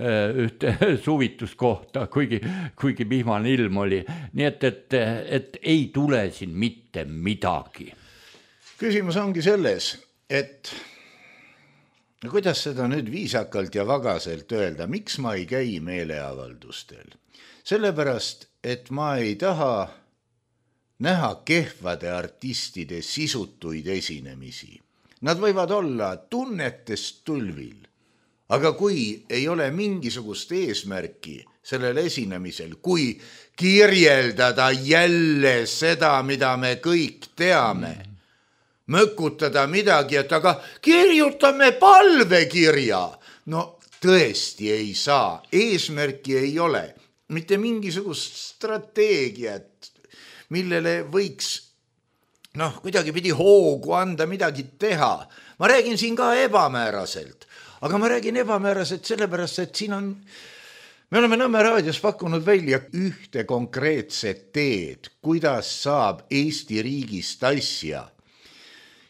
ühte suvituskohta, kuigi, kuigi vihmane ilm oli. Nii et, et, et ei tule siin mitte midagi. Küsimus ongi selles, et no kuidas seda nüüd viisakalt ja vagaselt öelda, miks ma ei käi meeleavaldustel? Sellepärast, et ma ei taha näha kehvade artistide sisutuid esinemisi. Nad võivad olla tunnetest tulvil. Aga kui ei ole mingisugust eesmärki sellel esinemisel, kui kirjeldada jälle seda, mida me kõik teame, mõkutada midagi, et aga kirjutame palvekirja, no tõesti ei saa, eesmärki ei ole, mitte mingisugust strateegiat, millele võiks noh, kuidagi pidi hoogu anda, midagi teha. Ma räägin siin ka ebamääraselt. Aga ma räägin ebamääraselt sellepärast, et siin on, me oleme Nõmme raadios pakkunud välja ühte konkreetset teed, kuidas saab Eesti riigist asja.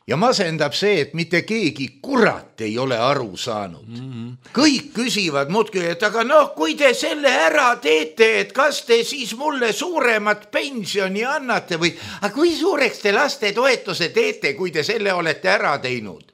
Ja masendab see, et mitte keegi kurat ei ole aru saanud. Mm-hmm. Kõik küsivad muudki, et aga noh, kui te selle ära teete, et kas te siis mulle suuremat pensioni annate või aga kui suureks te laste toetuse teete, kui te selle olete ära teinud?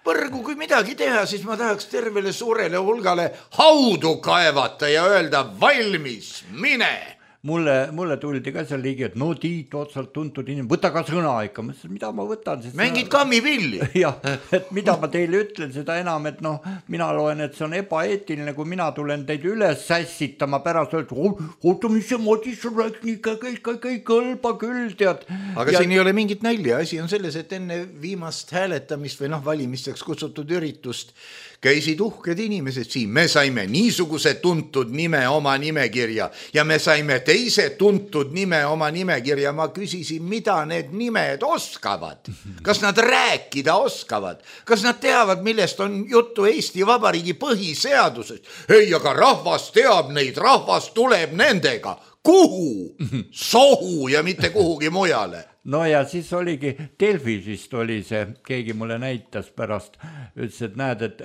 Põrgu, kui midagi teha, siis ma tahaks tervele suurele hulgale haudu kaevata ja öelda valmis, mine. Mulle, mulle tuldi ka seal ligi, et no Tiit otsalt tuntud inimene, võta ka sõna ikka. Ma ütlesin, mida ma võtan? Mängid kammipilli. Jah, et mida ma teile ütlen, seda enam, et noh, mina loen, et see on ebaeetiline, kui mina tulen teid üles sässitama pärast, et oota, mis see Madisson rääks nii kõik, kõik kõlba küll, tead. Aga ja... siin ei ole mingit nälja. Asi on selles, et enne viimast hääletamist või noh, valimisteks kutsutud üritust käisid uhked inimesed siin. Me saime niisuguse tuntud nime oma nimekirja ja me saime teise tuntud nime oma nimekirja. Ma küsisin, mida need nimed oskavad. Kas nad rääkida oskavad? Kas nad teavad, millest on juttu Eesti Vabariigi põhiseaduses? Ei, aga rahvas teab neid, rahvas tuleb nendega. Kuhu? Sohu ja mitte kuhugi mujale. no ja siis oligi, Delfis vist oli see, keegi mulle näitas pärast, ütles, et näed, et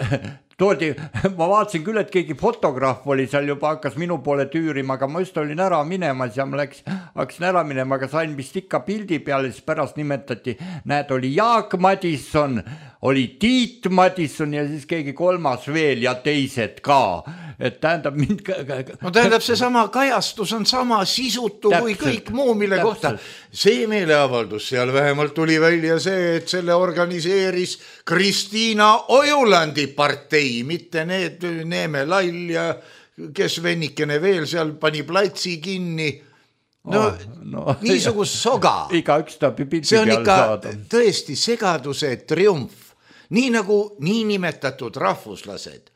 toodi, ma vaatasin küll, et keegi fotograaf oli seal juba, hakkas minu poole tüürima, aga ma just olin ära minemas ja ma läks, hakkasin ära minema, aga sain vist ikka pildi peale, siis pärast nimetati, näed, oli Jaak Madisson, oli Tiit Madisson ja siis keegi kolmas veel ja teised ka. Et tähendab mind... No tähendab, see sama kajastus on sama sisutu täpselt, kui kõik muu, mille täpselt. Kohta see meeleavaldus seal vähemalt tuli välja see, et selle organiseeris Kristiina Ojulandi partei, mitte need Neeme Lall ja kes vennikene veel seal pani platsi kinni. No, oh, no niisugust soga. Iga üks tabi pildi see on peal ikka saada. Tõesti segaduse triumf, nii nagu niinimetatud rahvuslased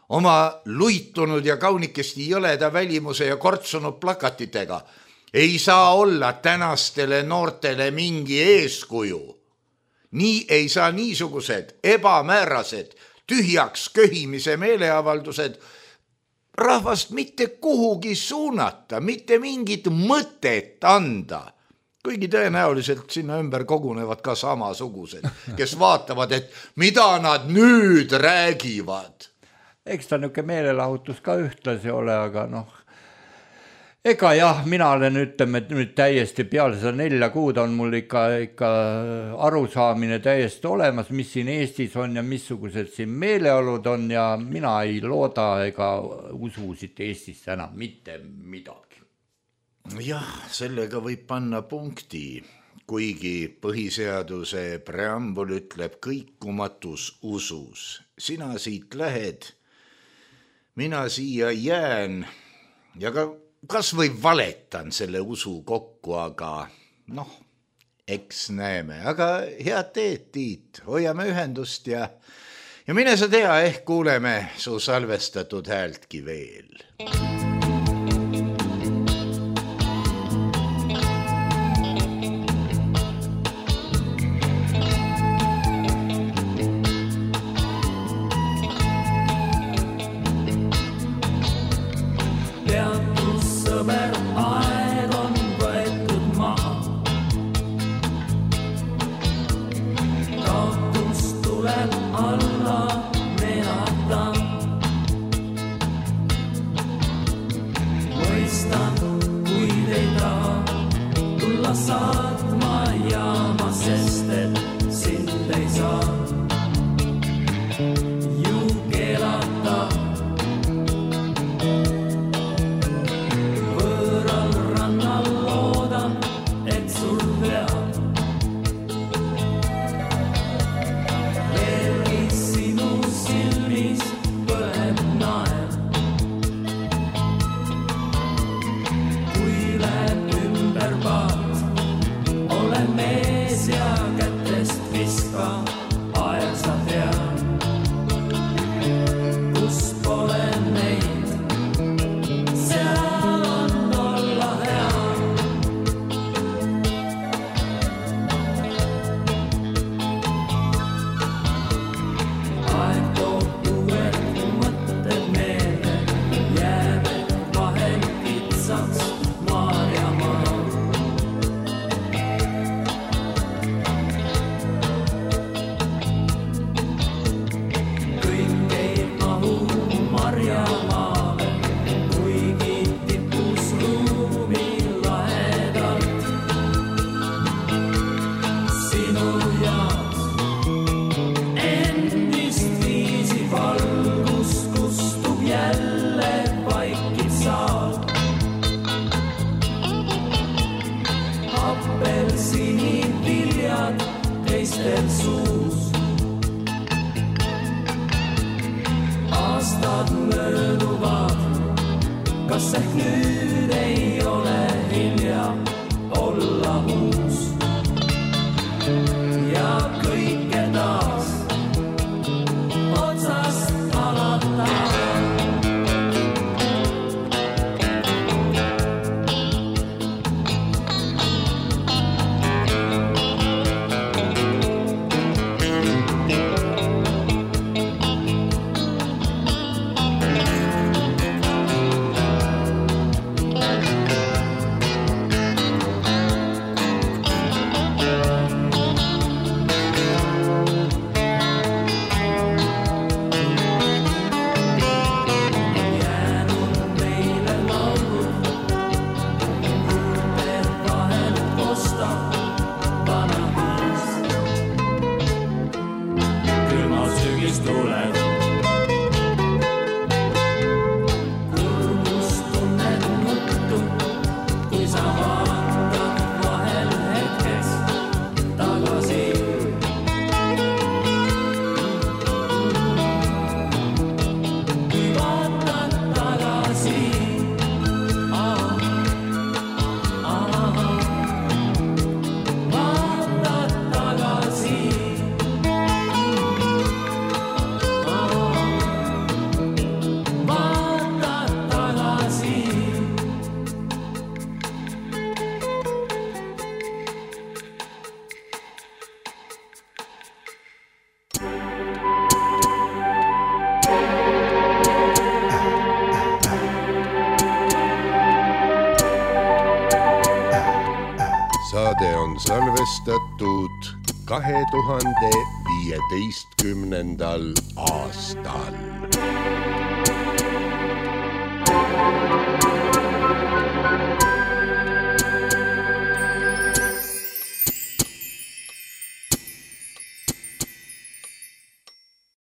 oma luitunud ja kaunikesti jõleda välimuse ja kortsunud plakatitega ei saa olla tänastele noortele mingi eeskuju. Nii ei saa niisugused ebamäärased, tühjaks köhimise meeleavaldused rahvast mitte kuhugi suunata, mitte mingit mõtet anda. Kuigi tõenäoliselt sinna ümber kogunevad ka samasugused, kes vaatavad, et mida nad nüüd räägivad. Eks ta niuke meelelahutus ka ühtlasi ole, aga noh, ega jah, mina olen ütleme, et nüüd täiesti peale seda nelja kuud on mul ikka, ikka arusaamine täiesti olemas, mis siin Eestis on ja missugused siin meeleolud on ja mina ei looda ega usu siit Eestis enam mitte midagi. Jah, sellega võib panna punkti, kuigi põhiseaduse preambul ütleb kõikumatus usus. Sina siit lähed, mina siia jään ja ka kas või valetan selle usu kokku, aga noh, eks näeme. Aga head teed, Tiit, hoiame ühendust ja, ja mine sa tea, ehk kuuleme su salvestatud häältki veel. on salvestatud kahe tuhande viieteistkümnendal aastal.